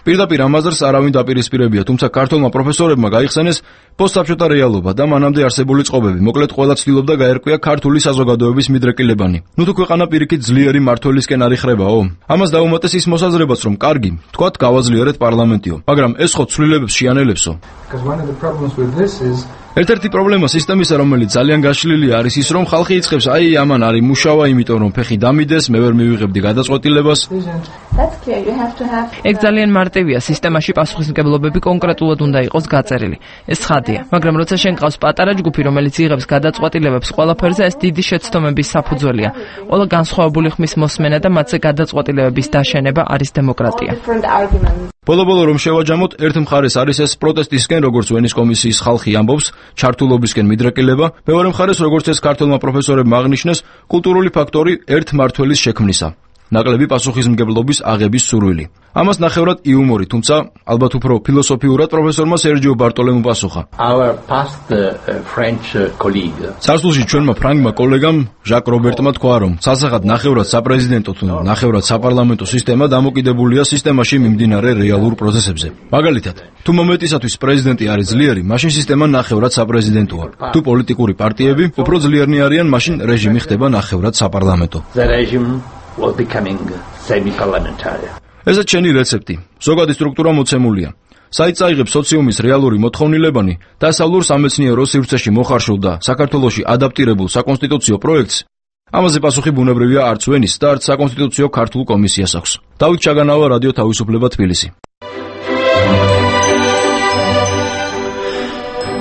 პირდაპირ ამ აზრს არავინ დაპირისპირებია, თუმცა ქართულმა პროფესორებმა გაიხსენეს პოსტსაბჭოთა რეალობა და მანამდე არსებული წყობები. მოკლედ ყველა ცდილობდა გაერკვია ქართული საზოგადოების მიდრეკილებანი. ნუ თუ ქვეყანა პირიქით ძლიერი მართლისკენ არ იხრებაო. ამას დაუმატეს ის მოსაზრებაც, რომ კარგი, თქვათ, გავაძლიერეთ პარლამენტიო, მაგრამ ეს ხო ცვლილებებს შეანელებსო. ერთ-ერთი პრობლემა სისტემისა, რომელიც ძალიან გაშლილი არის ის, რომ ხალხი იწყებს, აი ამან არის მუშავა, იმიტომ რომ ფეხი დამიდეს, მე ვერ მივიღებდი გადაწყვეტილებას. ეგ ძალიან მარტივია, სისტემაში პასუხისმგებლობები კონკრეტულად უნდა იყოს გაწერილი. ეს ცხადია, მაგრამ როცა შენ ყავს პატარა ჯგუფი, რომელიც იღებს გადაწყვეტილებებს ყველაფერზე, ეს დიდი შეცდომების საფუძველია. ყველა განსხვავებული ხმის მოსმენა და მათზე გადაწყვეტილებების დაშენება არის დემოკრატია. ბოლო-ბოლო რომ შევაჯამოთ, ერთ მხარეს არის ეს პროტესტისკენ, როგორც ვენის კომისიის ხალხი ამბობს, ჩართულობისკენ მიდრეკილება, მეორე მხარეს, როგორც ეს ქართულმა პროფესორებმა აღნიშნეს, კულტურული ფაქტორი ერთ მართველის შექმნისა. ნაკლები პასუხისმგებლობის აღების სურვილი. ამას ნახევრად იუმორი, თუმცა ალბათ უფრო ფილოსოფიურად პროფესორმა სერჯიო ბარტოლემუ პასუხა. წარსულში ჩვენმა ფრანგმა კოლეგამ ჟაკ რობერტმა თქვა, რომ სასახად ნახევრად საპრეზიდენტო თუ ნახევრად საპარლამენტო სისტემა დამოკიდებულია სისტემაში მიმდინარე რეალურ პროცესებზე. მაგალითად, თუ მომეტისათვის პრეზიდენტი არის ძლიერი, მაშინ სისტემა ნახევრად საპრეზიდენტოა. თუ პოლიტიკური პარტიები უფრო ძლიერნი არიან, მაშინ რეჟიმი ხდება ნახევრად საპარლამენტო. ესეც შენი რეცეპტი. ზოგადი სტრუქტურა მოცემულია. საიტს აიღებს სოციუმის რეალური მოთხოვნილებანი და სასწავლურ სამეცნიერო სივრცეში მოხარშულ და საქართველოში ადაპტირებულ საკონსტიტუციო პროექტს. ამაზე პასუხი ბუნებრივია არც ვენის და არც საკონსტიტუციო ქართულ კომისიას აქვს. დავით ჩაგანავა, რადიო თავისუფლება, თბილისი.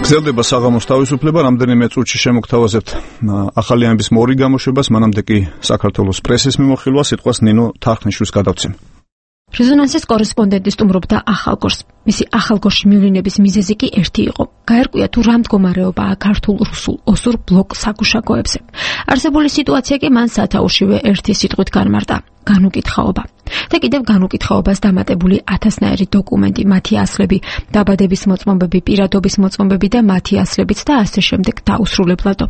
გრძელდება საღამოს თავისუფლება, რამდენიმე წუთში შემოგთავაზებთ ახალი ამბის მორი გამოშვებას, მანამდე კი საქართველოს პრესის მიმოხილვა, სიტყვას ნინო თარხნიშვილს გადავცემ. რეზონანსის კორესპონდენტი სტუმრობდა ახალგორს. მისი ახალგორში მივლინების მიზეზი კი ერთი იყო. გაერკვია თუ რა მდგომარეობაა ქართულ-რუსულ ოსურ ბლოკ საგუშაგოებზე. არსებული სიტუაცია კი მან სათაურშივე ერთი სიტყვით განმარტა: განუკითხაობა. და კიდევ განუკითხაობას დამატებული ათასნაირი დოკუმენტი, მათი ასლები, დაბადების მოწმობები, პირადობის მოწმობები და მათი ასლებიც და ასე შემდეგ დაუსრულებლადო.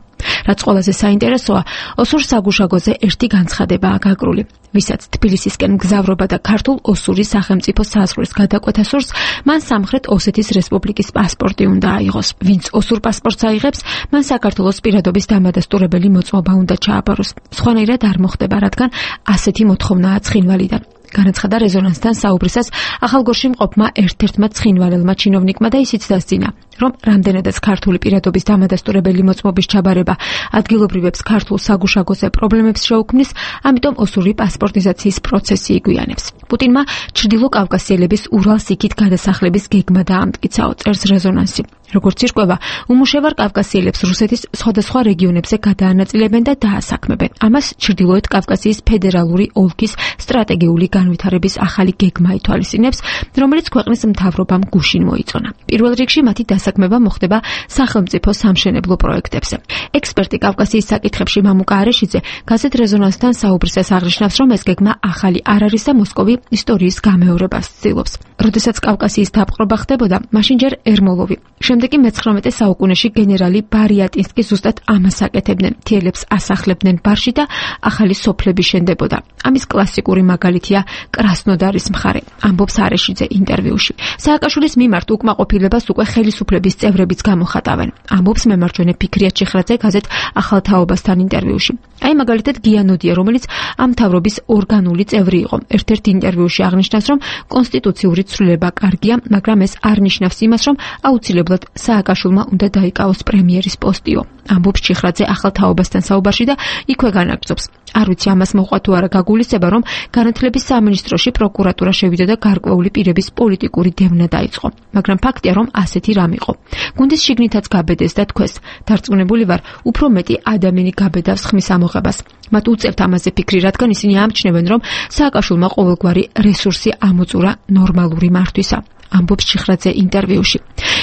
რაც ყველაზე საინტერესოა, ოსურ საგუშაგოზე ერთი განცხადებაა გაკრული. ვისაც თბილისისკენ მგზავრობა და ქართულ-ოსური სახელმწიფო საზღვრის გადაკვეთა სურს, მან სამხრეთ ოსეთის რესპუბლიკის პასპორტი უნდა აიღოს. ვინც ოსურ პასპორტს აიღებს, მან საქართველოს პირადობის დამადასტურებელი მოწმობა უნდა ჩააბაროს. სხვანაირად არ მოხდება, რადგან ასეთი მოთხოვნაა ცხინვალიდან. განაცხადა რეზონანსთან საუბრისას ახალგორში მყოფმა ერთ-ერთმა ცხინვალელმა ჩინოვნიკმა და ისიც დასძინა, რომ რამდენადაც ქართული პირადობის დამადასტურებელი მოწმობის ჩაბარება ადგილობრივებს ქართულ საგუშაგოზე პრობლემებს შეუქმნის, ამიტომ ოსური პასპორტიზაციის პროცესი იგვიანებს. პუტინმა ჩრდილო კავკასიელების ურალს იქით გადასახლების გეგმა დაამტკიცაო, წერს რეზონანსი. როგორც ირკვევა, უმუშევარ კავკასიელებს რუსეთის სხვადასხვა რეგიონებზე გადაანაწილებენ და დაასაქმებენ. ამას ჩრდილოეთ კავკასიის ფედერალური ოლქის სტრატეგიული განვითარების ახალი გეგმა ითვალისწინებს, რომელიც ქვეყნის მთავრობამ გუშინ მოიწონა. პირველ რიგში მათი დასაქმება მოხდება სახელმწიფო სამშენებლო პროექტებზე. ექსპერტი კავკასიის საკითხებში მამუკა არეშიძე გაზეთ რეზონანსთან საუბრისას აღნიშნავს, რომ ეს გეგმა ახალი არ არის და მოსკოვი ისტორიის გამეორებას ცდილობს. როდესაც კავკასიის დაპყრობა ხდებოდა, მაშინ ჯერ ერმოლოვი, შემდეგ კი მე-19 საუკუნეში გენერალი ბარიატინსკი ზუსტად ამას აკეთებდნენ. მთიელებს ასახლებდნენ ბარში და ახალი სოფლები შენდებოდა. ამის კლასიკური მაგალითია კრასნოდარის მხარე, ამბობს არეშიძე ინტერვიუში. სააკაშვილის მიმართ უკმაყოფილებას უკვე ხელისუფლების წევრებიც გამოხატავენ, ამბობს მემარჯვენე ფიქრია ჩიხრაძე გაზეთ ახალ თაობასთან ინტერვიუში. აი მაგალითად გიანოდია, რომელიც ამ მთავრობის ორგანული წევრი იყო. ერთ-ერთ ინტერვიუში აღნიშნავს, რომ კონსტიტუციური ცვლილება კარგია, მაგრამ ეს არ ნიშნავს იმას, რომ აუცილებლად სააკაშვილმა უნდა დაიკავოს პრემიერის პოსტიო. ამბობს ჩიხრაძე ახალ თაობასთან საუბარში და იქვე განაგრძობს. არ ვიცი ამას მოყვა თუ არა გაგულისება, რომ განათლების სამინისტროში პროკურატურა შევიდა და გარკვეული პირების პოლიტიკური დევნა დაიწყო. მაგრამ ფაქტია, რომ ასეთი რამ იყო. გუნდის შიგნითაც გაბედეს და თქვეს, დარწმუნებული ვარ, უფრო მეტი ადამიანი გაბედავს ხმის ამოღებას. მათ უწევთ ამაზე ფიქრი, რადგან ისინი ამჩნევენ, რომ სააკაშვილმა ყოველგვარი რესურსი ამოწურა ნორმალური მართვისა. ამბობს ჩიხრაძე ინტერვიუში.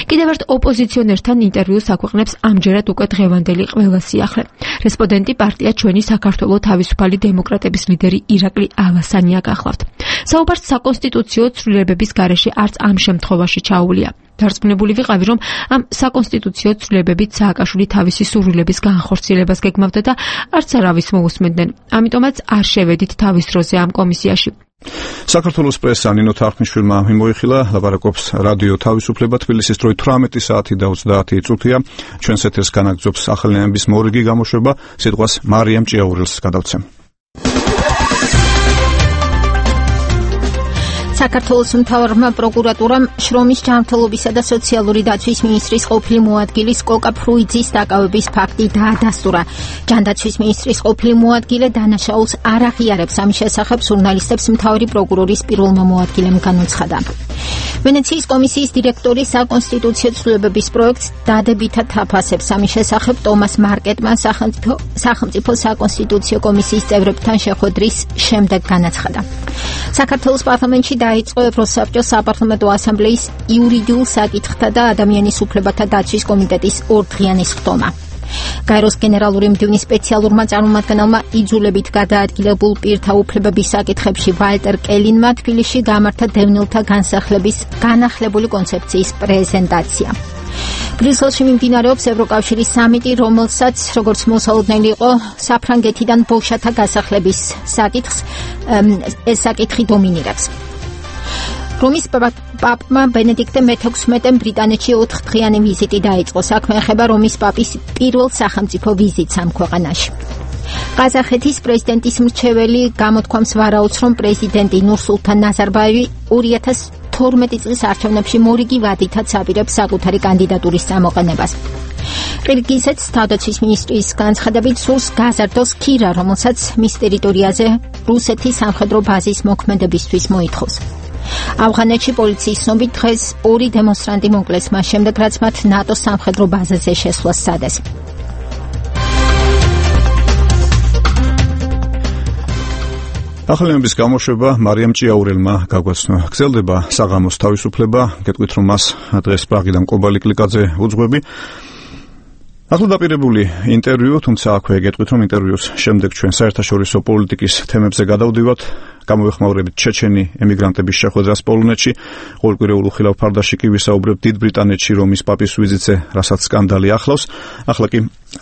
კიდევ ერთ ოპოზიციონერთან ინტერვიუს აქვეყნებს ამჯერად უკვე დღევანდელი ყველა სიახლე. რესპონდენტი პარტია ჩვენი საქართველოს თავისუფალი დემოკრატების ლიდერი ირაკლი ალასანია გახლავთ. საუბარს საკონსტიტუციო ცვლილებების გარეშე არც ამ შემთხვევაში ჩაუვლია. დარწმუნებული ვიყავი, რომ ამ საკონსტიტუციო ცვლილებებით სააკაშვილი თავისი სურვილების განხორციელებას გეგმავდა და არც არავის მოусმენდნენ. ამიტომაც არ შევედით თავის დროზე ამ კომისიაში. საქართველოს პრესა ნინო თარხნიშვილმა მიმოიხილა, ლაპარაკობს რადიო თავისუფლება თბილისის დროით 18 საათი და 30 წუთია. ჩვენს ეთერს განაგრძობს ახალი ამბის მორიგი გამოშვება, სიტყვას მარიამ ჭიაურელს გადავცემ. საქართველოს მთავრობამ პროკურატურამ შრომის ჯანმრთელობისა და სოციალური დაცვის მინისტრის ყოფილი მოადგილის კოკა ფრუიძის დაკავების ფაქტი დაადასტურა. ჯანდაცვის მინისტრის ყოფილი მოადგილე დანაშაულს არ აღიარებს, ამის შესახებ ჟურნალისტებს მთავარი პროკურორის პირველმა მოადგილემ განუცხადა. ვენეციის კომისიის დირექტორი საკონსტიტუციო ცვლილებების პროექტს დადებითად აფასებს. ამის შესახებ ტომას მარკეტმა სახელმწიფო საკონსტიტუციო კომისიის წევრებთან შეხვედრის შემდეგ განაცხადა. საქართველოს პარლამენტში დაიწყო ევროსაბჭოს საპარლამენტო ასამბლეის იურიდიულ საკითხთა და ადამიანის უფლებათა დაცვის კომიტეტის ორდღიანი სხდომა. გაეროს გენერალური მდივნის სპეციალურმა წარმომადგენელმა იძულებით გადაადგილებულ პირთა უფლებების საკითხებში ვალტერ კელინმა თბილისში გამართა დევნილთა განსახლების განახლებული კონცეფციის პრეზენტაცია. ბრიუსელში მიმდინარეობს ევროკავშირის სამიტი, რომელსაც, როგორც მოსალოდნელი იყო, საფრანგეთიდან ბოშათა გასახლების საკითხს ეს საკითხი დომინირებს. რომის პაპმა ბენედიქტე მე-16-მ ბრიტანეთში 4-დღიანი ვიზიტი დაიწყო. საქმე ეხება რომის პაპის პირველ სახელმწიფო ვიზიტს ამ ქვეყანაში. ყაზახეთის პრეზიდენტის მრჩეველი გამოთქვამს ვარაუდს, რომ პრეზიდენტი ნურსულთან ნაზარბაევი 2012 წლის არჩევნებში მორიგი ვადითაც აპირებს საკუთარი კანდიდატურის წამოყენებას. ყირგიზეთს თავდაცვის მინისტრის განცხადებით სურს გაზარდოს ქირა, რომელსაც მის ტერიტორიაზე რუსეთის სამხედრო ბაზის მოქმედებისთვის მოითხოვს. ავღანეთში პოლიციის ცნობით დღეს 2 დემონსტრანტი მოკლეს, მას შემდეგ რაც მათ ნატოს სამხედრო ბაზაზე შესვლა სცადეს. ახალი ამბის გამოშვება მარიამ ჭიაურელმა გაგვაცნო. გრძელდება საღამოს თავისუფლება, გეტყვით რომ მას დღეს პრაღიდან კობალი კლიკაძე უძღვები. ახლა დაპირებული ინტერვიუ, თუმცა აქვე გეტყვით რომ ინტერვიუს შემდეგ ჩვენ საერთაშორისო პოლიტიკის თემებზე გადავდივართ. გამოვეხმაურებით ჩეჩენი ემიგრანტების შეხვედრას პოლონეთში, ყოველკვირეულ უხილავ ფარდაში კი ვისაუბრებთ დიდ ბრიტანეთში რომის პაპის ვიზიტზე, რასაც სკანდალი ახლავს. ახლა კი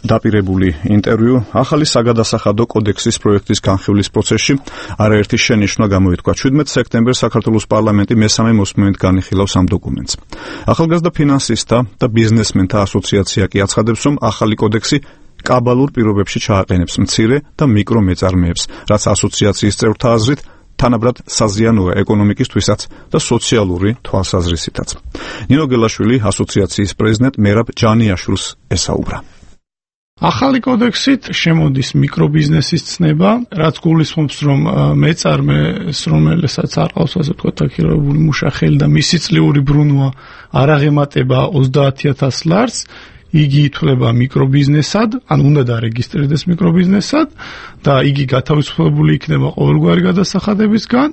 დაპირებული ინტერვიუ ახალი საგადასახადო კოდექსის პროექტის განხილვის პროცესში არაერთი შენიშვნა გამოითქვა. 17 სექტემბერს საქართველოს პარლამენტი მესამე მოსმენით განიხილავს ამ დოკუმენტს. ახალგაზრდა ფინანსისტთა და ბიზნესმენთა ასოციაცია კი აცხადებს, რომ ახალი კოდექსი კაბალურ პირობებში ჩააყენებს მცირე და მიკრო მეწარმეებს, რაც ასოციაციის წევრთა აზრით თანაბრად საზიანოა ეკონომიკისთვისაც და სოციალური თვალსაზრისითაც. ნინო გელაშვილი ასოციაციის პრეზიდენტ მერაბ ჯანიაშვილს ესაუბრა. ახალი კოდექსით შემოდის მიკრობიზნესის ცნება, რაც გულისხმობს, რომ მეწარმეს, რომელსაც არ ყავს ასე ვთქვათ აქირებული მუშახელი და მისი წლიური ბრუნვა არ აღემატება 30,000 ლარს, იგი ითვლება მიკრობიზნესად, ან უნდა დარეგისტრირდეს მიკრობიზნესად და იგი გათავისუფლებული იქნება ყოველგვარი გადასახადებისგან.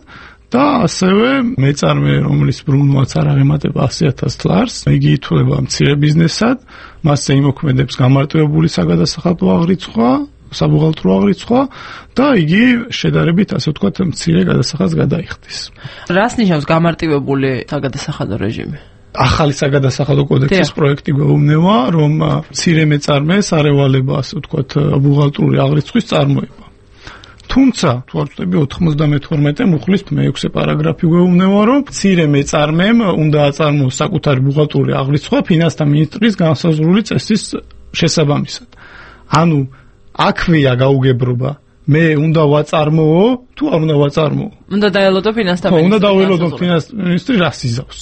და ასევე მეწარმე, რომლის ბრუნვაც არ აღემატება 100,000 ლარს, იგი ითვლება მცირე ბიზნესად, მასზე იმოქმედებს გამარტივებული საგადასახადო აღრიცხვა, საბუღალტრო აღრიცხვა და იგი შედარებით, ასე ვთქვათ, მცირე გადასახადს გადაიხდის. რას ნიშნავს გამარტივებული საგადასახადო რეჟიმი? ახალი საგადასახადო კოდექსის პროექტი გვეუბნება, რომ მცირე მეწარმეს არ ევალება, ასე ვთქვათ, ბუღალტრული აღრიცხვის წარმოება. თუმცა, თუ არ ვწდები 92 მუხლის 6 პარაგრაფი გვეუბნება, რომ მცირე მეწარმემ უნდა აწარმოოს საკუთარი ბუღალტრული აღრიცხვა ფინანსთა მინისტრის განსაზღვრული წესის შესაბამისად. ანუ აქვეა გაუგებრობა. მე უნდა ვაწარმოო, თუ არ უნდა ვაწარმოო. უნდა დაელოდო ფინანსთა მინისტრი. უნდა დაველოდო ფინანსთა მინისტრი რას იზავს.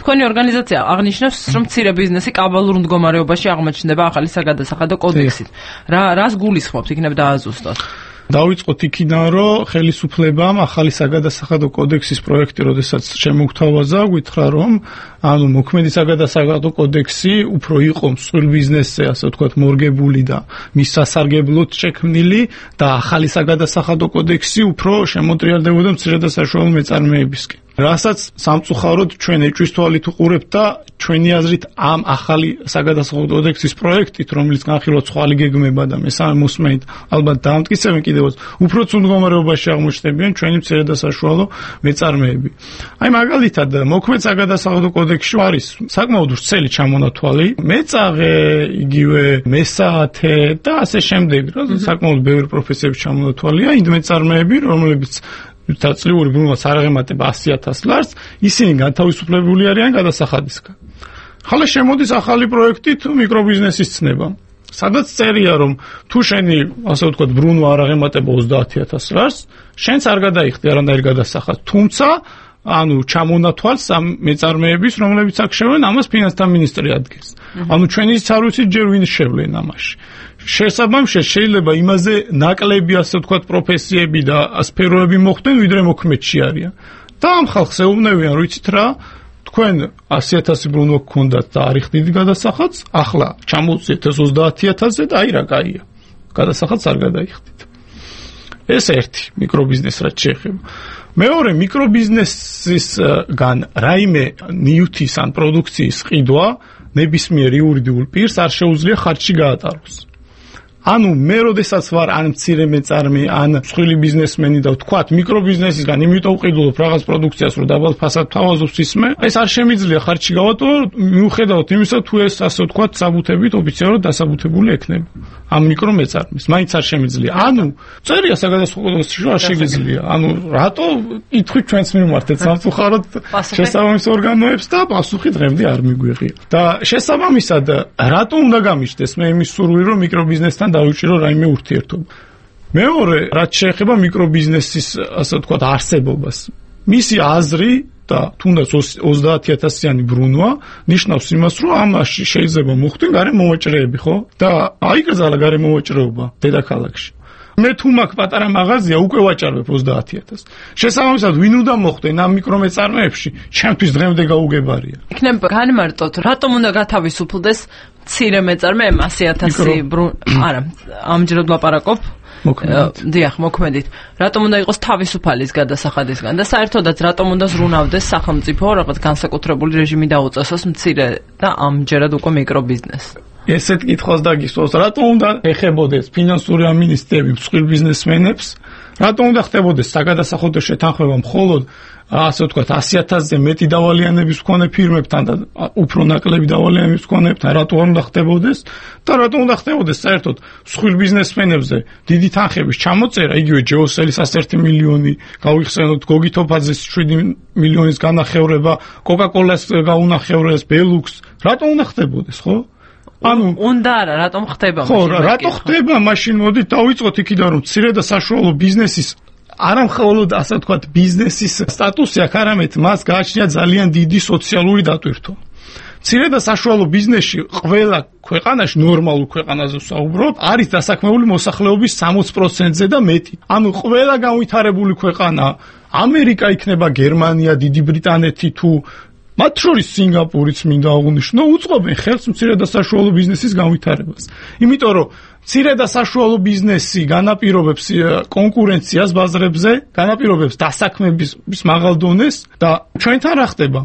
თქვენი ორგანიზაცია აღნიშნავს, რომ მცირე ბიზნესი კაბალურ მდგომარეობაში აღმოჩნდება ახალი საგადასახადო კოდექსით. რას გულისხმობთ, იქნებ დააზუსტოთ? დავიწყოთ იქიდან, რომ ხელისუფლებამ ახალი საგადასახადო კოდექსის პროექტი, როდესაც შემოგთავაზა, გითხრა, რომ ანუ მოქმედი საგადასახადო კოდექსი უფრო იყო მსხვილ ბიზნესზე, ასე ვთქვათ, მორგებული და მის სასარგებლოდ შექმნილი და ახალი საგადასახადო კოდექსი უფრო შემოტრიალდებოდა მცირე და საშუალო მეწარმეებისკენ. რასაც სამწუხაროდ ჩვენ ეჭვის თვალით უყურებთ და ჩვენი აზრით ამ ახალი საგადასახადო კოდექსის პროექტით, რომელიც განხილვა ცხვარი გეგმება და მესამე მოსმენით ალბათ დაამტკიცებენ კიდევაც, უფრო ცუდ მდგომარეობაში აღმოჩნდებიან ჩვენი მცირე და საშუალო მეწარმეები. აი მაგალითად, მოქმედ საგადასახადო კოდექსში არის საკმაოდ ვრცელი ჩამონათვალი, მეწაღე, იგივე მესაათე და ასე შემდეგ, რა საკმაოდ ბევრი პროფესიების ჩამონათვალია, იმ მეწარმეები, რომლებიც და წლიური ბრუნვაც არ აღემატება 100,000 ლარს, ისინი განთავისუფლებული არიან გადასახადისგან. ხალე შემოდის ახალი პროექტით მიკრობიზნესის ცნება. სადაც წერია, რომ თუ შენი, ასე ვთქვათ, ბრუნვა არ აღემატება 30,000 ლარს, შენც არ გადაიხდი არანაირ გადასახადს. თუმცა, ანუ ჩამონათვალს ამ მეწარმეების, რომლებიც აქ შევლენ, ამას ფინანსთა მინისტრი ადგენს. ანუ ჩვენი არ ვიცით ჯერ ვინ შევლენ ამაში. შესაბამისად შეიძლება იმაზე ნაკლები, ასე ვთქვათ, პროფესიები და სფეროები მოხდნენ, ვიდრე მოქმედში არიან. და ამ ხალხს ეუბნებიან, რომ იცით რა, თქვენ 100,000 ბრუნვა გქონდათ და არ იხდით გადასახადს, ახლა ჩამოვწიეთ 30,000-ზე და აი რა კაია. გადასახადს არ გადაიხდით. ეს ერთი მიკრობიზნეს რაც შეეხება. მეორე მიკრობიზნესისგან რაიმე ნივთის ან პროდუქციის ყიდვა ნებისმიერ იურიდიულ პირს არ შეუძლია ხარჯში გაატაროს. ანუ მე როდესაც ვარ ან მცირე მეწარმე, ან მსხვილი ბიზნესმენი და ვთქვათ მიკრობიზნესისგან იმიტომ ვყიდულობ რაღაც პროდუქციას, რომ დაბალ ფასად თავაზობს ისმე, ეს არ შემიძლია ხარჯში გავატარო, მიუხედავად იმისა, თუ ეს ასე ვთქვათ საბუთებით ოფიციალურად დასაბუთებული ექნება. ამ მიკრომეწარმეს მაინც არ შემიძლია. ანუ წერია საგადასახადო კოდექსში არ შეგიძლია. ანუ რატო ითქვით ჩვენს მიმართეთ სამწუხაროდ შესაბამის ორგანოებს და პასუხი დღემდე არ მიგვიღია. და შესაბამისად რატო უნდა გამიჩნდეს მე იმის სურვილი, რომ მიკრობიზნესთან დავიჭირო რაიმე ურთიერთობა. მეორე, რაც შეეხება მიკრობიზნესის, ასე ვთქვათ, არსებობას. მისი აზრი და თუნდაც 30,000-იანი ბრუნვა ნიშნავს იმას, რომ ამაში შეიძლება მოხდეს გარემოვაჭრეები, ხო? და აიკრძალა გარემოვაჭრეობა დედაქალაქში. მე თუ მაქვს პატარა მაღაზია, უკვე ვაჭარებ 30,000-ს. შესაბამისად, ვინ უნდა მოხდნენ ამ მიკრომეწარმეებში, ჩემთვის დღემდე გაუგებარია. იქნებ განმარტოთ, რატომ უნდა გათავისუფლდეს მცირე მეწარმე 100,000 არა, ამჯერად ლაპარაკობ. დიახ, მოქმედით. რატომ უნდა იყოს თავისუფალის გადასახადისგან და საერთოდაც რატომ უნდა ზრუნავდეს სახელმწიფო რაღაც განსაკუთრებული რეჟიმი დაუწესოს მცირე და ამჯერად უკვე მიკრობიზნესს? ესეთ კითხვას დაგისვოს, რატომ უნდა ეხებოდეს ფინანსური ამინისტრები მსხვილ ბიზნესმენებს? რატომ უნდა ხდებოდეს საგადასახადო შეთანხმება მხოლოდ ასე ვთქვათ 100,000-ზე მეტი დავალიანების მქონე ფირმებთან და უფრო ნაკლები დავალიანების მქონეებთან რატომ არ უნდა ხდებოდეს და რატომ უნდა ხდებოდეს საერთოდ მსხვილ ბიზნესმენებზე დიდი თანხების ჩამოწერა, იგივე ჯეოსელის 101 მილიონი გავიხსენოთ, გოგითოფაძეს 7 მილიონის განახევრება, კოკაკოლას გაუნახევრეს, ბელუქს, რატომ უნდა ხდებოდეს, ხო? ანუ უნდა არა, რატომ ხდება? ხო, რატო ხდება? მაშინ მოდით დავიწყოთ იქიდან, რომ მცირე და საშუალო ბიზნესის არა მხოლოდ ასე ვთქვათ ბიზნესის სტატუსი აქვს, არამედ მას გააჩნია ძალიან დიდი სოციალური დატვირთვა. მცირე და საშუალო ბიზნესში ყველა ქვეყანაში ნორმალურ ქვეყანაზე ვსაუბრობ, არის დასაქმებული მოსახლეობის 60%-ზე და მეტი. ანუ ყველა განვითარებული ქვეყანა, ამერიკა იქნება, გერმანია, დიდი ბრიტანეთი თუ მათ შორის სინგაპურიც მინდა აღვნიშნო, უწყობენ ხელს მცირე და საშუალო ბიზნესის განვითარებას. იმიტომ რომ მცირე და საშუალო ბიზნესი განაპირობებს კონკურენციას ბაზრებზე, განაპირობებს დასაქმების მაღალ დონეს და ჩვენთან რა ხდება?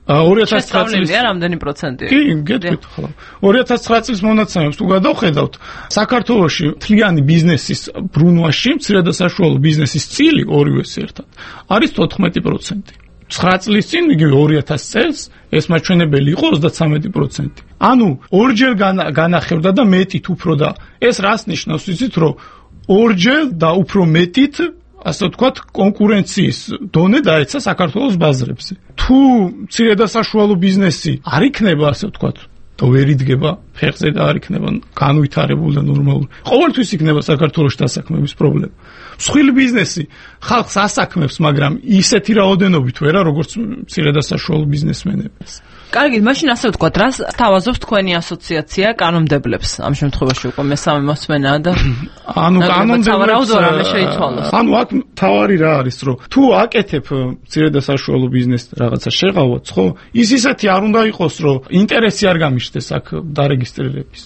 2009 წლის რამდენი პროცენტია? კი, გეტყვით ხოლმე. 2009 წლის მონაცემებს თუ გადავხედავთ, საქართველოში მთლიანი ბიზნესის ბრუნვაში მცირე და საშუალო ბიზნესის წილი ორივეს ერთად არის 14%. 9 წლის წინ, იგივე 2000 წელს, ეს მაჩვენებელი იყო 33%. ანუ ორჯერ განახევდა და მეტით უფრო და ეს რას ნიშნავს, იცით, რომ ორჯერ და უფრო მეტით ასე ვთქვათ, კონკურენციის დონე დაეცა საქართველოს ბაზრებზე. თუ მცირე და საშუალო ბიზნესი არ იქნება, ასე ვთქვათ, და ვერ იდგება ფეხზე და არ იქნება განვითარებული და ნორმალური, ყოველთვის იქნება საქართველოში დასაქმების პრობლემა. მსხვილი ბიზნესი ხალხს ასაქმებს, მაგრამ ისეთი რაოდენობით ვერა, როგორც მცირე და საშუალო ბიზნესმენებს. კარგი, მაშინ ასე ვთქვათ, რას თავაზობს თქვენი ასოციაცია კანონმდებლებს? ამ შემთხვევაში უკვე მესამე მოსმენაა და ანუ კანონმდებლებს შეიცვალოს. ანუ აქ თავარი რა არის, რომ თუ აკეთებ მცირე და საშუალო ბიზნესს რაღაცა შეღავაც, ხო? ის ისეთი არ უნდა იყოს, რომ ინტერესი არ გამიშდეს აქ დარეგისტრირების.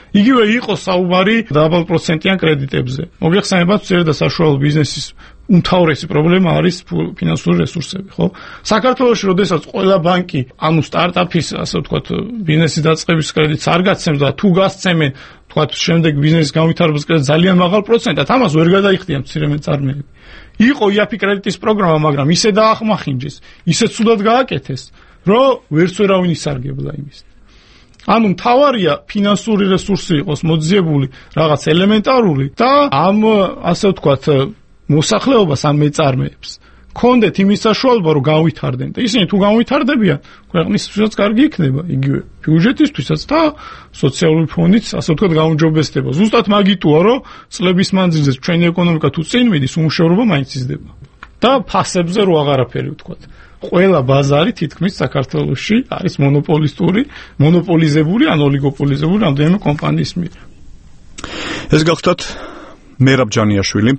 იგივე იყოს საუბარი დაბალ პროცენტიან კრედიტებზე. მოგეხსენებათ, მცირე და საშუალო ბიზნესის უმთავრესი პრობლემა არის ფინანსური რესურსები, ხო? საქართველოში, როდესაც ყველა ბანკი, ანუ სტარტაპის, ასე ვთქვათ, ბიზნესის დაწყების კრედიტს არ გაცემს და თუ გასცემენ, ვთქვათ, შემდეგ ბიზნესის განვითარების კრედიტს ძალიან მაღალ პროცენტად, ამას ვერ გადაიხდიან მცირე მეწარმეები. იყო IAPI კრედიტის პროგრამა, მაგრამ ისე დაახმახინჯეს, ისე ცუდად გააკეთეს, რომ ვერც ვერავინ ისარგებლა იმის. ანუ მთავარია ფინანსური რესურსი იყოს მოძიებული რაღაც ელემენტარული და ამ ასე ვთქვათ მოსახლეობას ან მეწარმეებს კონდეთ იმის საშუალება რომ განვითარდნენ და ისინი თუ განვითარდებიან ქვეყნისთვისაც კარგი იქნება იგივე ბიუჯეტისთვისაც და სოციალური ფონდიც ასე ვთქვათ გაუმჯობესდება ზუსტად მაგიტოა რომ წლების მანძილზე ჩვენი ეკონომიკა თუ წინ მიდის უმუშევრობა მაინც იზრდება და ფასებზე რო აღარაფერი ვთქვათ ყველა ბაზარი თითქმის საქართველოში არის მონოპოლიზებული ან ოლიგოპოლიზებული რამდენიმე კომპანიის მიერ. ეს გახლავთ მერაბ ჯანიაშვილი,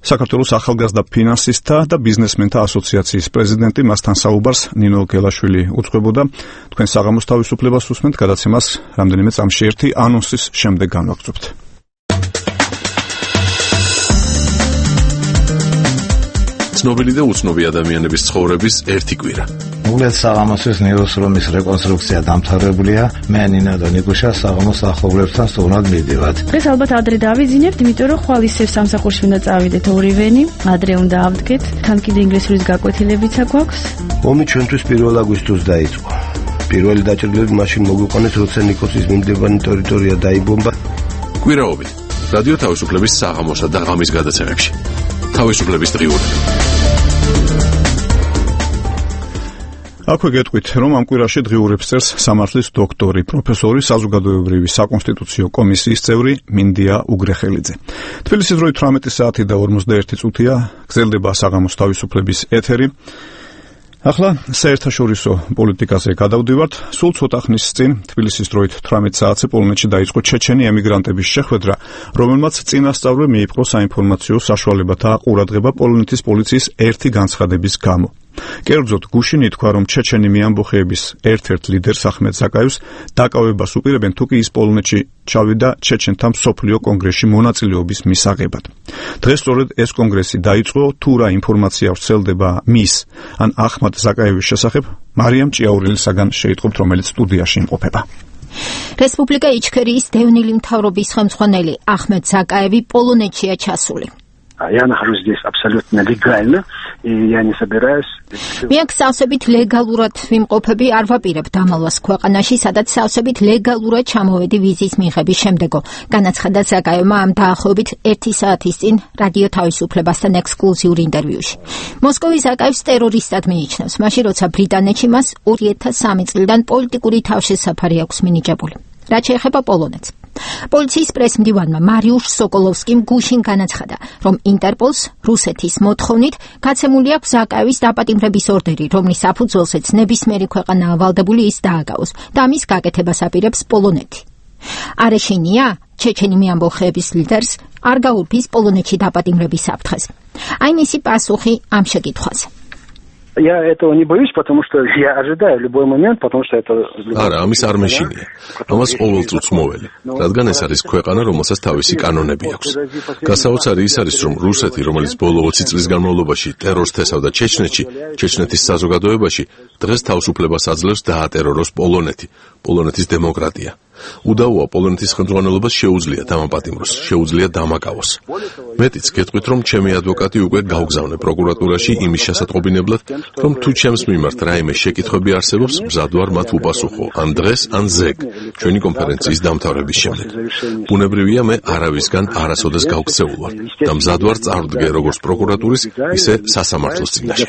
საქართველოს ახალგაზრდა ფინანსისტთა და ბიზნესმენთა ასოციაციის პრეზიდენტი, მასთან საუბარს ნინო გელაშვილი უძღვებოდა. თქვენ საღამოს თავისუფლებას უსმენთ, გადაცემას რამდენიმე წამში ერთი ანონსის შემდეგ განვაგრძობთ. ცნობილი და უცნობი ადამიანების ცხოვრების ერთი კვირა. მოგლეთ საღამოსთვის ნიუს რომის რეკონსტრუქცია დამთავრებულია. მე ნინა და ნიკუშა საღამოს ახლობლებთან სტუმრად მივდივართ. დღეს ალბათ ადრე დავიძინებთ, იმიტომ რომ ხვალ ისევ სამსახურში უნდა წავიდეთ ორივენი. ადრე უნდა ავდგეთ. თან კიდე ინგლისურის გაკვეთილებიც აქვს. ომი ჩვენთვის 1 აგვისტოს დაიწყო. პირველი დაჭრილები მაშინ მოგვიყვანეს, როცა ნიკოსის მინდებანი ტერიტორია დაიბომბა. კვირაობით რადიო თავისუფლების საღამოსა და ღამის გადაცემებში. თავისუფლების დღიური. აქვე გეტყვით, რომ ამ კვირაში დღიურებს წერს სამართლის დოქტორი, პროფესორი, საზოგადოებრივი საკონსტიტუციო კომისიის წევრი მინდია უგრეხელიძე. თბილისის დროით 18 საათი და 51 წუთია გრძელდება საღამოს თავისუფლების ეთერი. ახლა საერთაშორისო პოლიტიკაზე გადავდივართ. სულ ცოტა ხნის წინ თბილისის დროით 18 საათზე პოლონეთში დაიწყო ჩეჩენი ემიგრანტების შეხვედრა, რომელმაც წინასწავლე მიიპყრო საინფორმაციო საშუალებათა ყურადღება პოლონეთის პოლიციის ერთი განცხადების გამო. კერძოდ გუშინ ითქვა, რომ ჩეჩენი ამბოხეების ერთ-ერთ ლიდერს ახმედ ზაკაევს დაკავებას უპირებენ, თუ კი ის პოლონეთში ჩავიდა ჩეჩენთა მსოფლიო კონგრესში მონაწილეობის მისაღებად. დღეს სწორედ ეს კონგრესი დაიწყო, თუ რა ინფორმაცია ვრცელდება მის ან ახმედ ზაკაევის შესახებ, მარიამ ჭიაურელისაგან შეიტყობთ, რომელიც სტუდიაში იმყოფება. რესპუბლიკა იჩქერიის დევნილი მთავრობის ხელმძღვანელი ახმედ ზაკაევი პოლონეთშია ჩასული. Я нахожусь здесь абсолютно легально, и я не собираюсь... მე სავსებით ლეგალურად ვიმყოფები, არ ვაპირებ დამალვას ქვეყანაში, სადაც სავსებით ლეგალურად ჩამოვედი ვიზის მიღების შემდეგო. განაცხადა ზაკაევმა ამ დაახლოებით 1 საათის წინ რადიო თავისუფლებასთან ექსკლუზიურ ინტერვიუში. მოსკოვი ზაკაევს ტერორისტად მიიჩნევს, მაშინ როცა ბრიტანეთში მას 2003 წლიდან პოლიტიკური თავშესაფარი აქვს მინიჭებული. რაც შეეხება პოლონეთს. პოლიციის პრესმდივანმა მარიუშ სოკოლოვსკიმ გუშინ განაცხადა, რომ ინტერპოლს რუსეთის მოთხოვნით გაცემული აქვს ზაკაევის დაპატიმრების ორდერი, რომლის საფუძველზეც ნებისმიერი ქვეყანაა ვალდებული ის დააგავოს და ამის გაკეთებას აპირებს პოლონეთი. არეშინია, ჩეჩენი მეამბოხეების ლიდერს, არ გაურბის პოლონეთში დაპატიმრების საფრთხეს. აი მისი პასუხი ამ შეკითხვაზე. Я этого не боюсь, потому что я ожидаю любой момент, потому что это... არა, ამის არ მეშინია. ამას ყოველწუთს მოველი, რადგან ეს არის ქვეყანა, რომელსაც თავისი კანონები აქვს. გასაოცარი ის არის, რომ რუსეთი, რომელიც ბოლო 20 წლის განმავლობაში ტერორს თესავდა ჩეჩნეთში, ჩეჩნეთის საზოგადოებაში, დღეს თავისუფლებას აძლევს დაატეროროს პოლონეთი, პოლონეთის დემოკრატია. უდაოა პოლონეთის ხელმძღვანელობას შეუძლია დამაპატიმროს, შეუძლია დამაკავოს. მეტიც გეტყვით, რომ ჩემი ადვოკატი უკვე გავგზავნე პროკურატურაში იმის შესატყობინებლად, რომ თუ ჩემს მიმართ რაიმე შეკითხვები არსებობს, მზად ვარ მათ უპასუხო, ან დღეს, ან ზეგ, ჩვენი კონფერენციის დამთავრების შემდეგ. ბუნებრივია, მე არავისგან არასოდეს გავქცეულ ვარ და მზად ვარ წარვდგე როგორც პროკურატურის, ისე სასამართლოს წინაშე.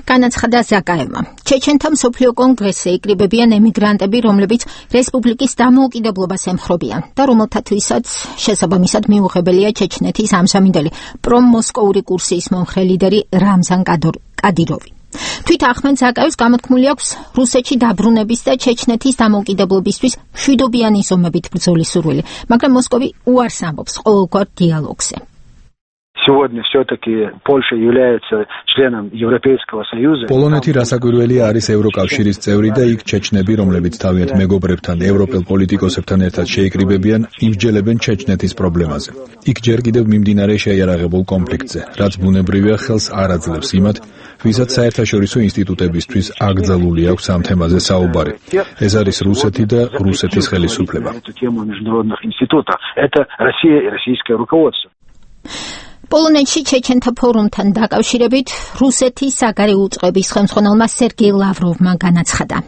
განაცხადა ზაკაევმა. ჩეჩენთა მსოფლიო კონგრესზე იკრიბებიან ემიგრანტები, რომლებიც რესპუბლიკის დამოუკიდებლობას ემხრობიან და რომელთათვისაც შესაბამისად მიუღებელია ჩეჩნეთის ამჟამინდელი პრომოსკოვური კურსის მომხრე ლიდერი რამზან კადიროვი. თვით ახმედ ზაკაევს გამოთქმული აქვს რუსეთში დაბრუნების და ჩეჩნეთის დამოუკიდებლობისთვის მშვიდობიანი ზომებით ბრძოლის სურვილი, მაგრამ მოსკოვი უარს ამბობს ყოველგვარ დიალოგზე. Сегодня все-таки Польша является членом Европейского Союза. პოლონეთი რასაკვირველია არის ევროკავშირის წევრი და იქ ჩეჩნები, რომლებიც თავიანთ მეგობრებთან და ევროპელ პოლიტიკოსებთან ერთად შეიკრიბებიან, იმსჯელებენ ჩეჩნეთის პრობლემაზე. იქ ჯერ კიდევ მიმდინარე შეიარაღებულ კონფლიქტზე, რაც ბუნებრივია ხელს არ აძლევს იმათ, ვისაც საერთაშორისო ინსტიტუტებისთვის აკრძალული აქვს ამ თემაზე საუბარი. ეს არის რუსეთი და რუსეთის ხელისუფლება. Это Россия и российское руководство. პოლონეთში ჩეჩენთა ფორუმთან დაკავშირებით რუსეთის საგარეო უწყების ხელმძღვანელმა სერგეი ლავროვმა განაცხადა.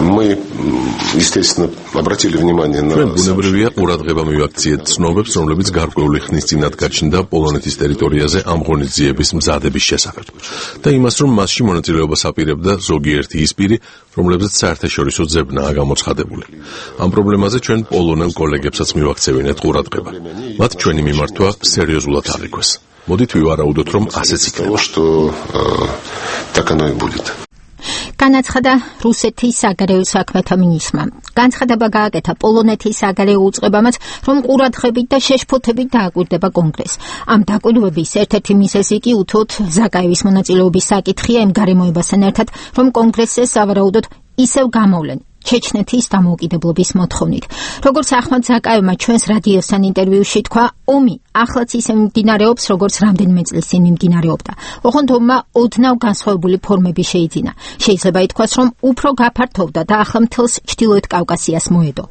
Мы, естественно, обратили внимание на... ჩვენ ბუნებრივია ყურადღება მივაქციეთ ცნობებს, რომლებიც გარკვეული ხნის წინათ გაჩნდა პოლონეთის ტერიტორიაზე ამ ღონისძიების მზადების შესახებ და იმას, რომ მასში მონაწილეობას აპირებდა ზოგიერთი ის პირი, რომლებზეც საერთაშორისო ძებნაა გამოცხადებული. ამ პრობლემაზე ჩვენ პოლონელ კოლეგებსაც მივაქცევინეთ ყურადღება. მათ ჩვენი მიმართვა სერიოზულად აღიქვეს. მოდით ვივარაუდოთ, რომ ასეც იქნება. Так оно и будет. განაცხადა რუსეთის საგარეო საქმეთა მინისტრმა. განცხადება გააკეთა პოლონეთის საგარეო უწყებამაც, რომ ყურადღებით და შეშფოთებით დააკვირდება კონგრესს. ამ დაკვირვების ერთ-ერთი მიზეზი კი უთოთ ზაკაევის მონაწილეობის საკითხია იმ გარემოებასთან ერთად, რომ კონგრესზე სავარაუდოდ ისევ გამოვლენ ჩეჩნეთის დამოუკიდებლობის მოთხოვნით. როგორც ახმად ზაკაევმა ჩვენს რადიოსთან ინტერვიუში თქვა, ომი ახლაც ისე მიმდინარეობს, როგორც რამდენიმე წლის წინ მიმდინარეობდა. ოღონდ ომმა ოდნავ განსხვავებული ფორმები შეიძინა. შეიძლება ითქვას, რომ უფრო გაფართოვდა და ახლა მთელს ჩრდილოეთ კავკასიას მოედო.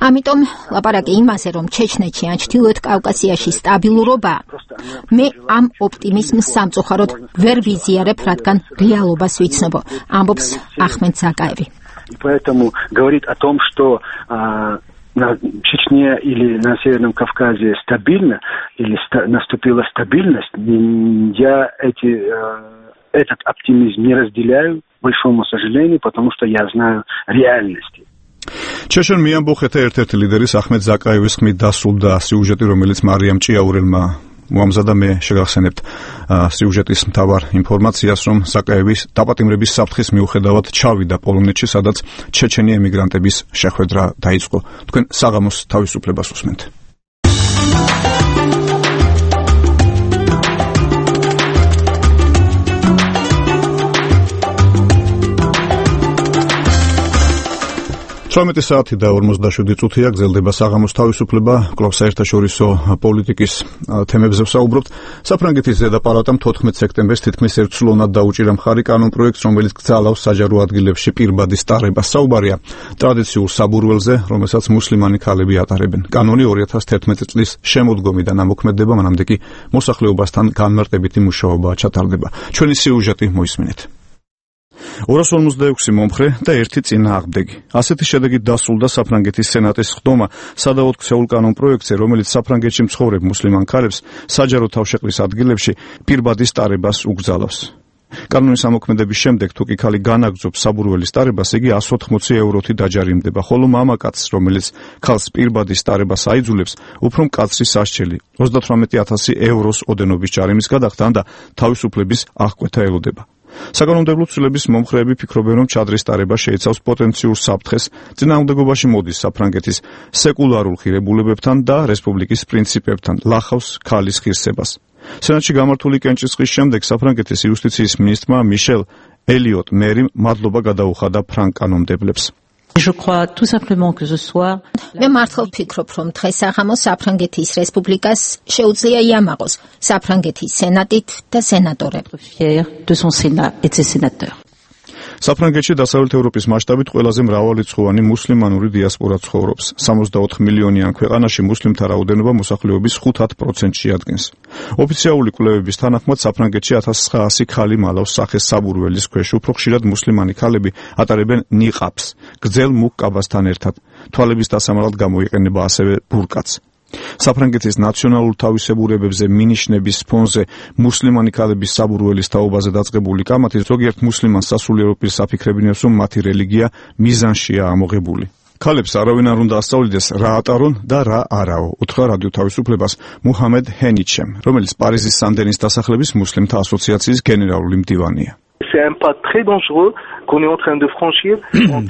ამიტომ ლაპარაკი იმაზე, რომ ჩეჩნეთში ან ჩრდილოეთ კავკასიაში სტაბილურობაა, მე ამ ოპტიმიზმს სამწუხაროდ ვერ ვიზიარებ, რადგან რეალობას ვიცნობ, ამბობს ახმედ ზაკაევი. И поэтому говорит о том, что на Чечне или на Северном Кавказе стабильно, или наступила стабильность, я этот оптимизм не разделяю, к большому сожалению, потому что я знаю реальности. ჩეჩენ მეამბოხეთა ერთ-ერთი ლიდერის ახმედ ზაკაევის ხმით დასრულდა სიუჟეტი, რომელიც მარიამ ჭიაურელმა მოამზადა. მე შეგახსენებთ სიუჟეტის მთავარ ინფორმაციას, რომ ზაკაევის დაპატიმრების საფრთხის მიუხედავად ჩავიდა პოლონეთში, სადაც ჩეჩენი ემიგრანტების შეხვედრა დაიწყო. თქვენ საღამოს თავისუფლებას უსმენთ. საათი და 47 წუთია გრძელდება საღამოს თავისუფლება, კვლავ საერთაშორისო პოლიტიკის თემებზე ვსაუბრობთ. საფრანგეთის ზედაპალატამ 14 სექტემბერს თითქმის ერთსულოვნად დაუჭირა მხარი კანონპროექტს, რომელიც გძალავს საჯარო ადგილებში პირბადის ტარებას. საუბარია ტრადიციულ საბურველზე, რომელსაც მუსლიმანი ქალები ატარებენ. კანონი 2011 წლის შემოდგომიდან ამოქმედება, მანამდე კი მოსახლეობასთან განმარტებითი მუშაობა ჩატარდება. ჩვენი სიუჟეტი მოისმინეთ. 256 მომხრე და 1 წინააღმდეგი. ასეთი შედეგით დასრულდა საფრანგეთის სენატის ხდომა სადავოდ ქცეულ კანონპროექტზე, რომელიც საფრანგეთში მცხოვრებ მუსლიმან ქალებს საჯარო თავშეყრის ადგილებში პირბადის ტარებას უგზალავს. კანონის ამოქმედების შემდეგ თუ კი ქალი განაგრძობს საბურველის ტარებას, იგი 180 ევროთი დაჯარიმდება, ხოლო მამაკაცს, რომელიც ქალს პირბადის ტარებას აიძულებს, უფრო მკაცრი სასჯელი 38,000 ევროს ოდენობის ჯარიმის გადახდან და თავისუფლების აღკვეთა ელოდება. საკანონმდებლო ცვლილების მომხრეები ფიქრობენ, რომ ჩადრის ტარება შეიცავს პოტენციურ საფრთხეს, წინააღმდეგობაში მოდის საფრანგეთის სეკულარულ ღირებულებებთან და რესპუბლიკის პრინციპებთან, ლახავს ქალის ღირსებას. სენატში გამართული კენჭისყრის შემდეგ საფრანგეთის იუსტიციის მინისტრმა მიშელ ელიოტ მერიმ მადლობა გადაუხადა ფრანგ კანონმდებლებს. მე მართლა ვფიქრობ, რომ დღეს საღამოს საფრანგეთის რესპუბლიკას შეუძლია იამაღოს საფრანგეთის სენატით და სენატორებით. საფრანგეთში დასავლეთ ევროპის მასშტაბით ყველაზე მრავალრიცხოვანი მუსლიმანური დიასპორა ცხოვრობს. 64 მილიონიან ქვეყანაში მუსლიმთა რაოდენობა მოსახლეობის 5%-ში ადგენს. ოფიციალური კვლევების თანახმად საფრანგეთში 1900 ქალი მალავს სახეს საბურველის ქვეშ. უფრო ხშირად მუსლიმანი ქალები ატარებენ ნიყაბს, გრძელ მუქ კაბასთან ერთად. თვალების დასამალად გამოიყენება ასევე ბურკაც. საფრანგეთის ნაციონალურ თავისებურებებზე მინიშნების ფონზე მუსლიმანი ქალების საბურველის თაობაზე დაწყებული კამათი ზოგიერთ მუსლიმანს სასულიერო პირს აფიქრებინებს, რომ მათი რელიგია მიზანშია ამოღებული. ქალებს არავინ არ უნდა ასწავლიდეს რა ატარონ და რა არაო, უთხრა რადიო თავისუფლებას მუჰამედ ჰენიჩემ, რომელიც პარიზის სანდენის დასახლების მუსლიმთა ასოციაციის გენერალური მდივანია. C'est un pas très dangereux qu'on est en train de franchir.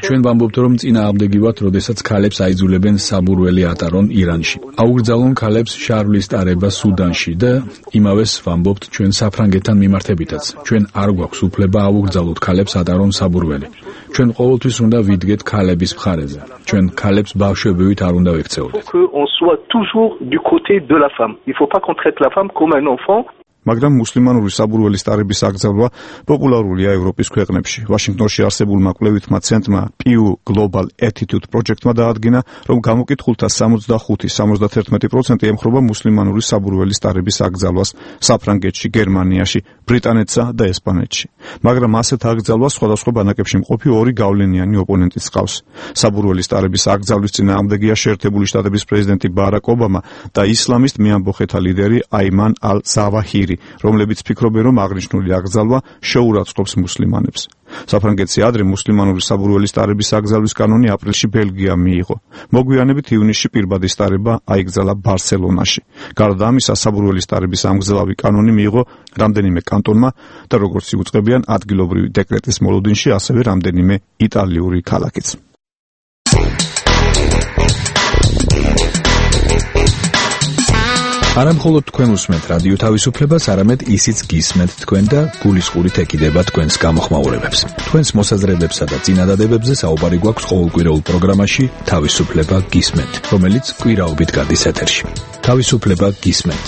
ჩვენ ვამბობთ, რომ წინააღმდეგი ვართ, როდესაც ქალებს აიძულებენ საბურველი ატარონ ირანში. აუგრძალონ ქალებს შარვლის ტარება სუდანში და იმავეს ვამბობთ ჩვენ საფრანგეთთან მიმართებითაც. ჩვენ არ გვაქვს უფლება აუგრძალოთ ქალებს ატარონ საბურველი. ჩვენ ყოველთვის უნდა ვიდგეთ ქალების მხარეზე. ჩვენ ქალებს ბავშვებივით არ უნდა ვექცეოთ. On soit toujours du côté de la femme. Il faut pas qu'on traite la femme comme un enfant. მაგრამ მუსლიმანური საბურველის ტარების აკრძალვა პოპულარულია ევროპის ქვეყნებში. ვაშინგტონში არსებულმა კვლევითმა ცენტრმა Pew Global Attitude Project-მა დაადგინა, რომ გამოკითხულთა 65-71% ემხრობა მუსლიმანური საბურველის ტარების აკრძალვას საფრანგეთში, გერმანიაში, ბრიტანეთსა და ესპანეთში. მაგრამ ასეთ აკრძალვას სხვადასხვა ბანაკებში მყოფი ორი გავლენიანი ოპონენტიც ჰყავს. საბურველის ტარების აკრძალვის წინააღმდეგია შეერთებული შტატების პრეზიდენტი ბარაკ ობამა და ისლამისტ მეამბოხეთა ლიდერი აიმან ალ-ზავაჰირი, რომლებიც ფიქრობენ, რომ აღნიშნული აკრძალვა შეურაცხყოფს მუსლიმანებს. საფრანგეთში ადრე მუსლიმანური საბურველის ტარების აკრძალვის კანონი აპრილში ბელგიამ მიიღო. მოგვიანებით ივნისში პირბადის ტარება აიკრძალა ბარსელონაში. გარდა ამისა, საბურველის ტარების ამგზელავი კანონი მიიღო რამდენიმე კანტონმა და როგორც იუწყებიან ადგილობრივი დეკრეტის მოლოდინში, ასევე რამდენიმე იტალიური ქალაქიც. არა მხოლოდ თქვენ უსმენთ რადიო თავისუფლებას, არამედ ისიც გისმენთ თქვენ და გულისყურით ეკიდება თქვენს გამოხმაურებებს. თქვენს მოსაზრებებსა და წინადადებებზე საუბარი გვაქვს ყოველკვირეულ პროგრამაში თავისუფლება გისმენთ, რომელიც კვირაობით გადის ეთერში. თავისუფლება გისმენთ.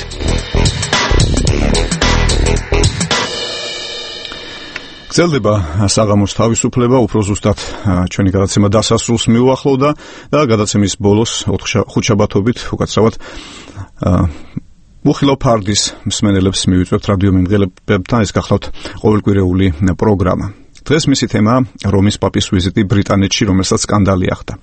გრძელდება საღამოს თავისუფლება, უფრო ზუსტად ჩვენი გადაცემა დასასრულს მიუახლოვდა და გადაცემის ბოლოს ხუთშაბათობით უკაცრავად მუხილო ფარდის მსმენელებს მივიწვევთ რადიო მიმღებებთან, ეს გახლავთ ყოველკვირეული პროგრამა. დღეს მისი თემაა რომის პაპის ვიზიტი ბრიტანეთში, რომელსაც სკანდალი ახდა.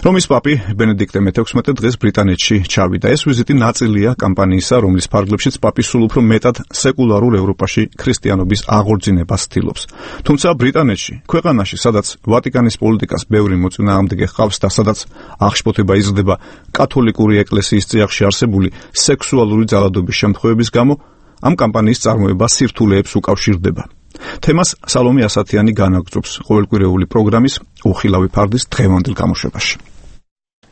რომის პაპი ბენედიქტე მე-16 დღეს ბრიტანეთში ჩავიდა. ეს ვიზიტი ნაწილია კამპანიისა, რომლის ფარგლებშიც პაპი სულ უფრო მეტად სეკულარულ ევროპაში ქრისტიანობის აღორძინებას ცდილობს. თუმცა ბრიტანეთში, ქვეყანაში, სადაც ვატიკანის პოლიტიკას ბევრი მოწინააღმდეგე ჰყავს და სადაც აღშფოთება იზრდება კათოლიკური ეკლესიის წიაღში არსებული სექსუალური ძალადობის შემთხვევების გამო, ამ კამპანიის წარმოება სირთულეებს უკავშირდება. თემას სალომე ასათიანი განაგრძობს ყოველკვირეული პროგრამის უხილავი ფარდის დღევანდელ გამოშვებაში.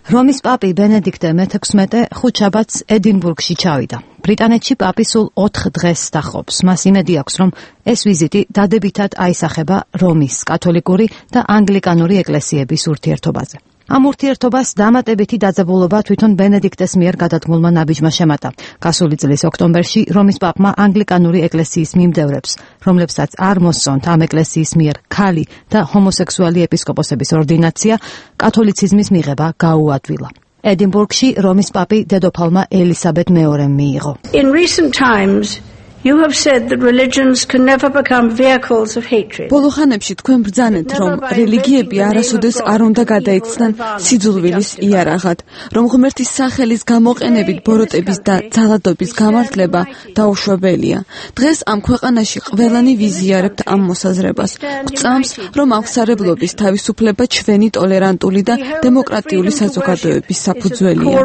რომის პაპი ბენედიქტე მე-16 ხუთშაბათს ედინბურგში ჩავიდა. ბრიტანეთში პაპი სულ 4 დღეს დახობს. მას იმედი აქვს, რომ ეს ვიზიტი დადებითად აისახება რომის კათოლიკური და ანგლიკანური ეკლესიების ურთიერთობაზე. ამ ურთიერთობას დამატებითი დაძაბულობა თვითონ ბენედიქტეს მიერ გადადგმულმა ნაბიჯმა შემატა. გასული წლის ოქტომბერში რომის პაპმა ანგლიკანური ეკლესიის მიმდევრებს, რომლებსაც არ მოსწონთ ამ ეკლესიის მიერ ქალი და ჰომოსექსუალი ეპისკოპოსების ორდინაცია, კათოლიციზმის მიღება გაუადვილა. ედინბურგში რომის პაპი დედოფალმა ელისაბედ მეორემ მიიღო. In recent times You have said that religions can never become vehicles of hatred. ბოლოხანებში თქვენ ბრძანეთ, რომ რელიგიები არასოდეს არ უნდა გადაიქცნენ სიძულვილის იარაღად, რომ ღმერთის სახელის გამოყენებით ბოროტების და ძალადობის გამართლება დაუშვებელია. დღეს ამ ქვეყანაში ყველანი ვიზიარებთ ამ მოსაზრებას. გვწამს, რომ აღსარებლობის თავისუფლება ჩვენი ტოლერანტული და დემოკრატიული საზოგადოების საფუძველია.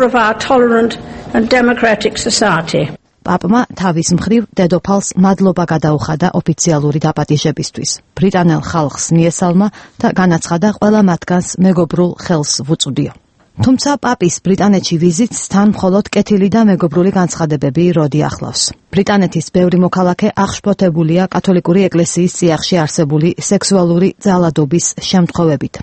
პაპმა თავის მხრივ დედოფალს მადლობა გადაუხადა ოფიციალური დაპატიჟებისთვის. ბრიტანელ ხალხს მიესალმა და განაცხადა ყველა მათგანს მეგობრულ ხელს ვუწვდიო. თუმცა პაპის ბრიტანეთში ვიზიტს თან მხოლოდ კეთილი და მეგობრული განცხადებები როდი ახლავს. ბრიტანეთის ბევრი მოქალაქე აღშფოთებულია კათოლიკური ეკლესიის წიაღში არსებული სექსუალური ძალადობის შემთხვევებით.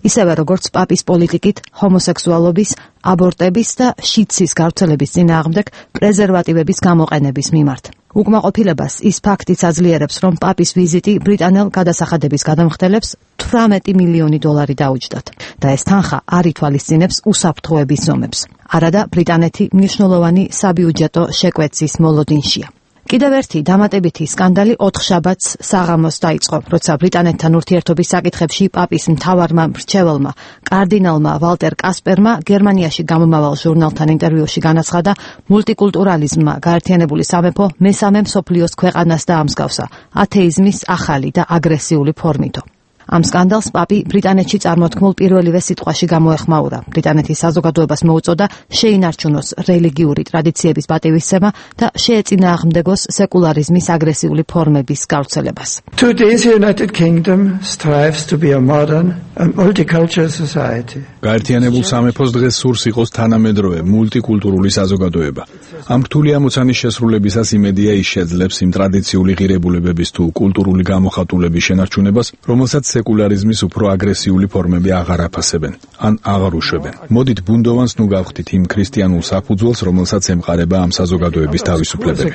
ისევე როგორც პაპის პოლიტიკით ჰომოსექსუალობის, აბორტების და შიცის გავრცელების წინააღმდეგ პრეზერვატივების გამოყენების მიმართ. უკმაყოფილებას ის ფაქტიც აძლიერებს, რომ პაპის ვიზიტი ბრიტანელ გადასახადების გადამხდელებს 18 მილიონი დოლარი დაუჯდათ და ეს თანხა არ ითვალისწინებს უსაფრთხოების ზომებს. არადა ბრიტანეთი მნიშვნელოვანი საბიუჯეტო შეკვეცის მოლოდინშია. კიდევ ერთი დამატებითი სკანდალი 4 შაბათს საღამოს დაიწყო, როცა ბრიტანეთთან ურთიერთობის საკითხებში პაპის მთავარმა მრჩეველმა კარდინალმა ვალტერ კასპერმა გერმანიაში გამომავალ ჟურნალთან ინტერვიუში განაცხადა, მულტიკულტურალიზმმა გაერთიანებული სამეფო მესამე მსოფლიოს ქვეყანას დაამსგავსა ათეიზმის ახალი და აგრესიული ფორმითო. ამ სკანდალს პაპი ბრიტანეთში წარმოთქმულ პირველივე სიტყვაში გამოეხმაურა. ბრიტანეთის საზოგადოებას მოუწოდა შეინარჩუნოს რელიგიური ტრადიციების პატივისცემა და შეეწინააღმდეგოს სეკულარიზმის აგრესიული ფორმების გავრცელებას. Today's United Kingdom strives to be a modern and multicultural society. გაერთიანებულ სამეფოს დღეს სურს იყოს თანამედროვე მულტიკულტურული საზოგადოება. ამ რთული ამოცანის შესრულებისას იმედია ის შეძლებს იმ ტრადიციული ღირებულებების თუ კულტურული გამოხატულების შენარჩუნებას, რომელსაც სეკულარიზმის უფრო აგრესიული ფორმები აღარ აფასებენ, ან აღარ უშვებენ. მოდით ბუნდოვანს ნუ გავხდით იმ ქრისტიანულ საფუძველს, რომელსაც ემყარება ამ საზოგადოების თავისუფლებები.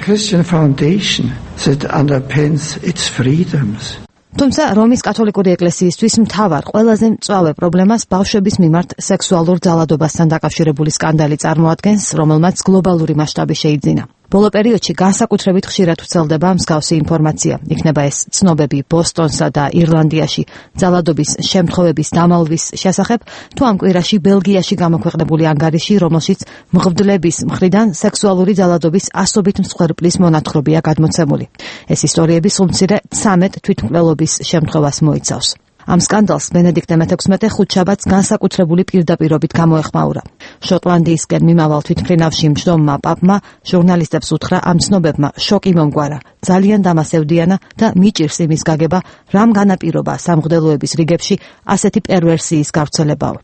თუმცა რომის კათოლიკური ეკლესიისთვის მთავარ ყველაზე მწვავე პრობლემას ბავშვების მიმართ სექსუალურ ძალადობასთან დაკავშირებული სკანდალი წარმოადგენს, რომელმაც გლობალური მასშტაბი შეიძინა. ბოლო პერიოდში განსაკუთრებით ხშირად ვრცელდება მსგავსი ინფორმაცია. იქნება ეს ცნობები ბოსტონსა და ირლანდიაში ძალადობის შემთხვევების დამალვის შესახებ, თუ ამ კვირაში ბელგიაში გამოქვეყნებული ანგარიში, რომელშიც მღვდლების მხრიდან სექსუალური ძალადობის ასობით მსხვერპლის მონათხრობია გადმოცემული. ეს ისტორიები სულმცირე 13 თვითმკვლელობის შემთხვევას მოიცავს. ამ სკანდალს ბენედიქტე მე-16 ხუთშაბათს განსაკუთრებული პირდაპირობით გამოეხმაურა. შოტლანდიისკენ მიმავალ თვითმფრინავში მჯდომმა პაპმა ჟურნალისტებს უთხრა, ამ ცნობებმა შოკი მომგვარა, ძალიან დამასევდიანა და მიჭირს იმის გაგება, რამ განაპირობა სამღვდელოების რიგებში ასეთი პერვერსიის გავრცელებაო.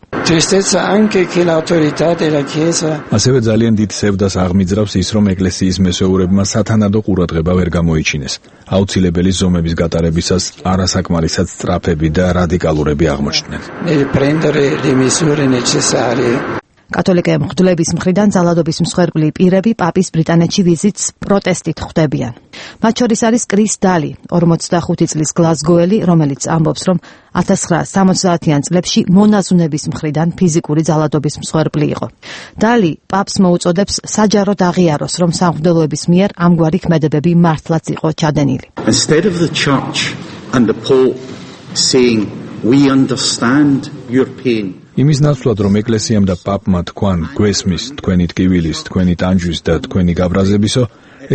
ასევე ძალიან დიდ სევდას აღმიძრავს ის, რომ ეკლესიის მესეურებმა სათანადო ყურადღება ვერ გამოიჩინეს. აუცილებელი ზომების გატარებისას არასაკმარისად სწრაფები და რადიკალურები აღმოჩნდნენ. კათოლიკე მღვდლების მხრიდან ძალადობის მსხვერპლი პირები პაპის ბრიტანეთში ვიზიტს პროტესტით ხვდებიან. მათ შორის არის კრის დალი, 45 წლის გლაზგოელი, რომელიც ამბობს, რომ 1970-იან წლებში მონაზვნების მხრიდან ფიზიკური ძალადობის მსხვერპლი იყო. დალი პაპს მოუწოდებს საჯაროდ აღიაროს, რომ სამღვდელოების მიერ ამგვარი ქმედებები მართლაც იყო ჩადენილი. Instead of the church and the Pope saying we understand your pain. იმის ნაცვლად, რომ ეკლესიამ და პაპმა თქვან გვესმის თქვენი ტკივილის, თქვენი ტანჯვის და თქვენი გაბრაზებისო,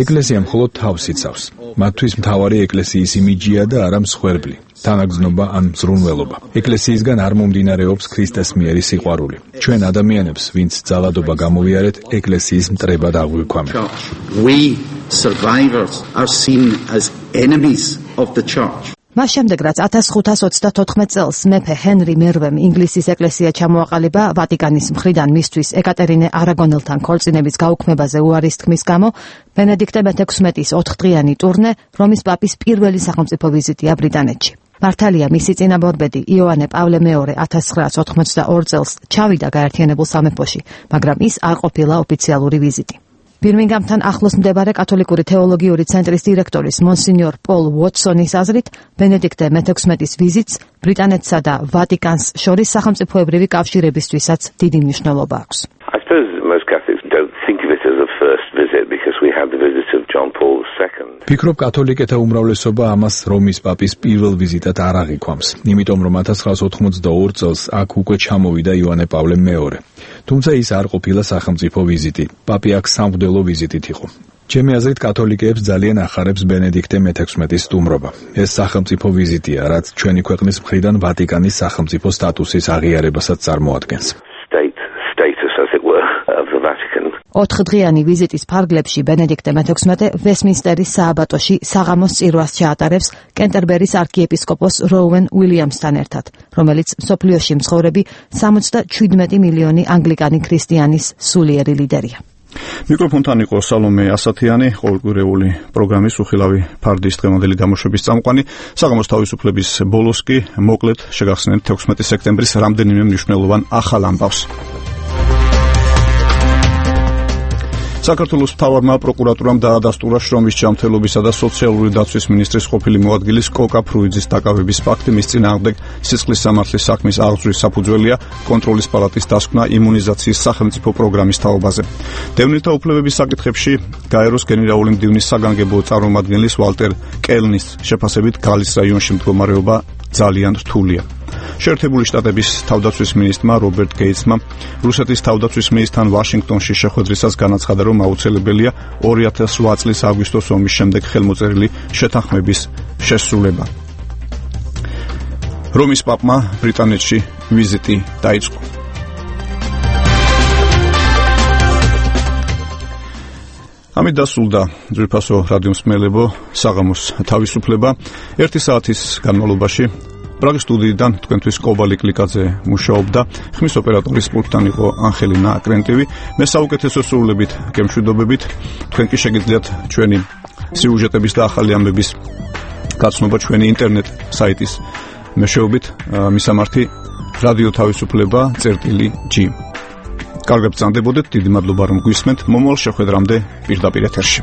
ეკლესია მხოლოდ თავს იცავს. მათთვის მთავარი ეკლესიის იმიჯია და არა მსხვერპლი, თანაგრძნობა ან მზრუნველობა. ეკლესიისგან არ მომდინარეობს ქრისტეს მიერი სიყვარული. ჩვენ ადამიანებს, ვინც ძალადობა გამოვიარეთ, ეკლესიის მტრებად აღვიქვამთ. We survivors are seen as enemies of the church. მას შემდეგ, რაც 1534 წელს მეფე ჰენრი მერვემ ინგლისის ეკლესია ჩამოაყალიბა ვატიკანის მხრიდან მისთვის ეკატერინე არაგონელთან ქორწინების გაუქმებაზე უარის თქმის გამო, ბენედიქტე მე-16-ის 4-დღიანი ტურნე რომის პაპის პირველი სახელმწიფო ვიზიტია ბრიტანეთში. მართალია, მისი წინამორბედი იოანე პავლე მეორე 1982 წელს ჩავიდა გაერთიანებულ სამეფოში, მაგრამ ის არ ყოფილა ოფიციალური ვიზიტი. ბირმინგამთან ახლოს მდებარე კათოლიკური თეოლოგიური ცენტრის დირექტორის მონსინიორ პოლ უოტსონის აზრით, ბენედიქტე მე-16-ის ვიზიტს ბრიტანეთსა და ვატიკანს შორის სახელმწიფოებრივი კავშირებისთვისაც დიდი მნიშვნელობა აქვს. I suppose most Catholics don't think of it as a first visit because we ფიქრობ, კათოლიკეთა უმრავლესობა ამას რომის პაპის პირველ ვიზიტად არ აღიქვამს, იმიტომ რომ 1982 წელს აქ უკვე ჩამოვიდა იოანე პავლე მეორე. თუმცა ის არ ყოფილა სახელმწიფო ვიზიტი. პაპი აქ სამღვდელო ვიზიტით იყო. ჩემი აზრით, კათოლიკეებს ძალიან ახარებს ბენედიქტე მე-16-ის სტუმრობა. ეს სახელმწიფო ვიზიტია, რაც ჩვენი ქვეყნის მხრიდან ვატიკანის სახელმწიფო სტატუსის აღიარებასაც წარმოადგენს. 4დღიანი ვიზიტის ფარგლებში ბენედიქტე მე-16 ვესტმინსტერის სააბატოში საღამოს წირვას ჩაატარებს კენტერბერის არქიეპისკოპოს როუენ უილიამსთან ერთად, რომელიც მსოფლიოში მცხოვრები 77 მილიონი ანგლიკანი ქრისტიანის სულიერი ლიდერია. მიკროფონთან იყო სალომე ასათიანი, ყოველკვირეული პროგრამის უხილავი ფარდის დღევანდელი გამოშვების წამყვანი. საღამოს თავისუფლების ბოლოს კი მოკლედ შეგახსენებთ 16 სექტემბრის რამდენიმე მნიშვნელოვან ახალ ამბავს. საქართველოს მთავარმა პროკურატურამ დაადასტურა შრომის ჯანმრთელობისა და სოციალური დაცვის მინისტრის ყოფილი მოადგილის კოკა ფრუიძის დაკავების ფაქტი. მის წინააღმდეგ სისხლის სამართლის საქმის აღძვრის საფუძველია კონტროლის პალატის დასკვნა იმუნიზაციის სახელმწიფო პროგრამის თაობაზე. დევნილთა უფლებების საკითხებში გაეროს გენერალური მდივნის საგანგებო წარმომადგენლის ვალტერ კელნის შეფასებით გალის რაიონში მდგომარეობა ძალიან რთულია. შეერთებული შტატების თავდაცვის მინისტრმა რობერტ გეიტსმა რუსეთის თავდაცვის მინისტრთან ვაშინგტონში შეხვედრისას განაცხადა, რომ აუცილებელია 2008 წლის აგვისტოს ომის შემდეგ ხელმოწერილი შეთანხმების შესრულება. რომის პაპმა ბრიტანეთში ვიზიტი დაიწყო. ამით დასრულდა ძვირფასო რადიო მსმენელებო საღამოს თავისუფლება. 1 საათის განმავლობაში პრაღის სტუდიიდან თქვენთვის კობალი კლიკაძე მუშაობდა. ხმის ოპერატორის პულტთან იყო ანხელინა აკრენტივი. მე საუკეთესო სრულებით გემშვიდობებით. თქვენ კი შეგიძლიათ ჩვენი სიუჟეტების და ახალი ამბების გაცნობა ჩვენი ინტერნეტ საიტის მეშვეობით, მისამართი რადიო თავისუფლება.g. კარგად ბრძანდებოდეთ, დიდი მადლობა რომ გვისმენთ. მომავალ შეხვედრამდე პირდაპირ ეთერში.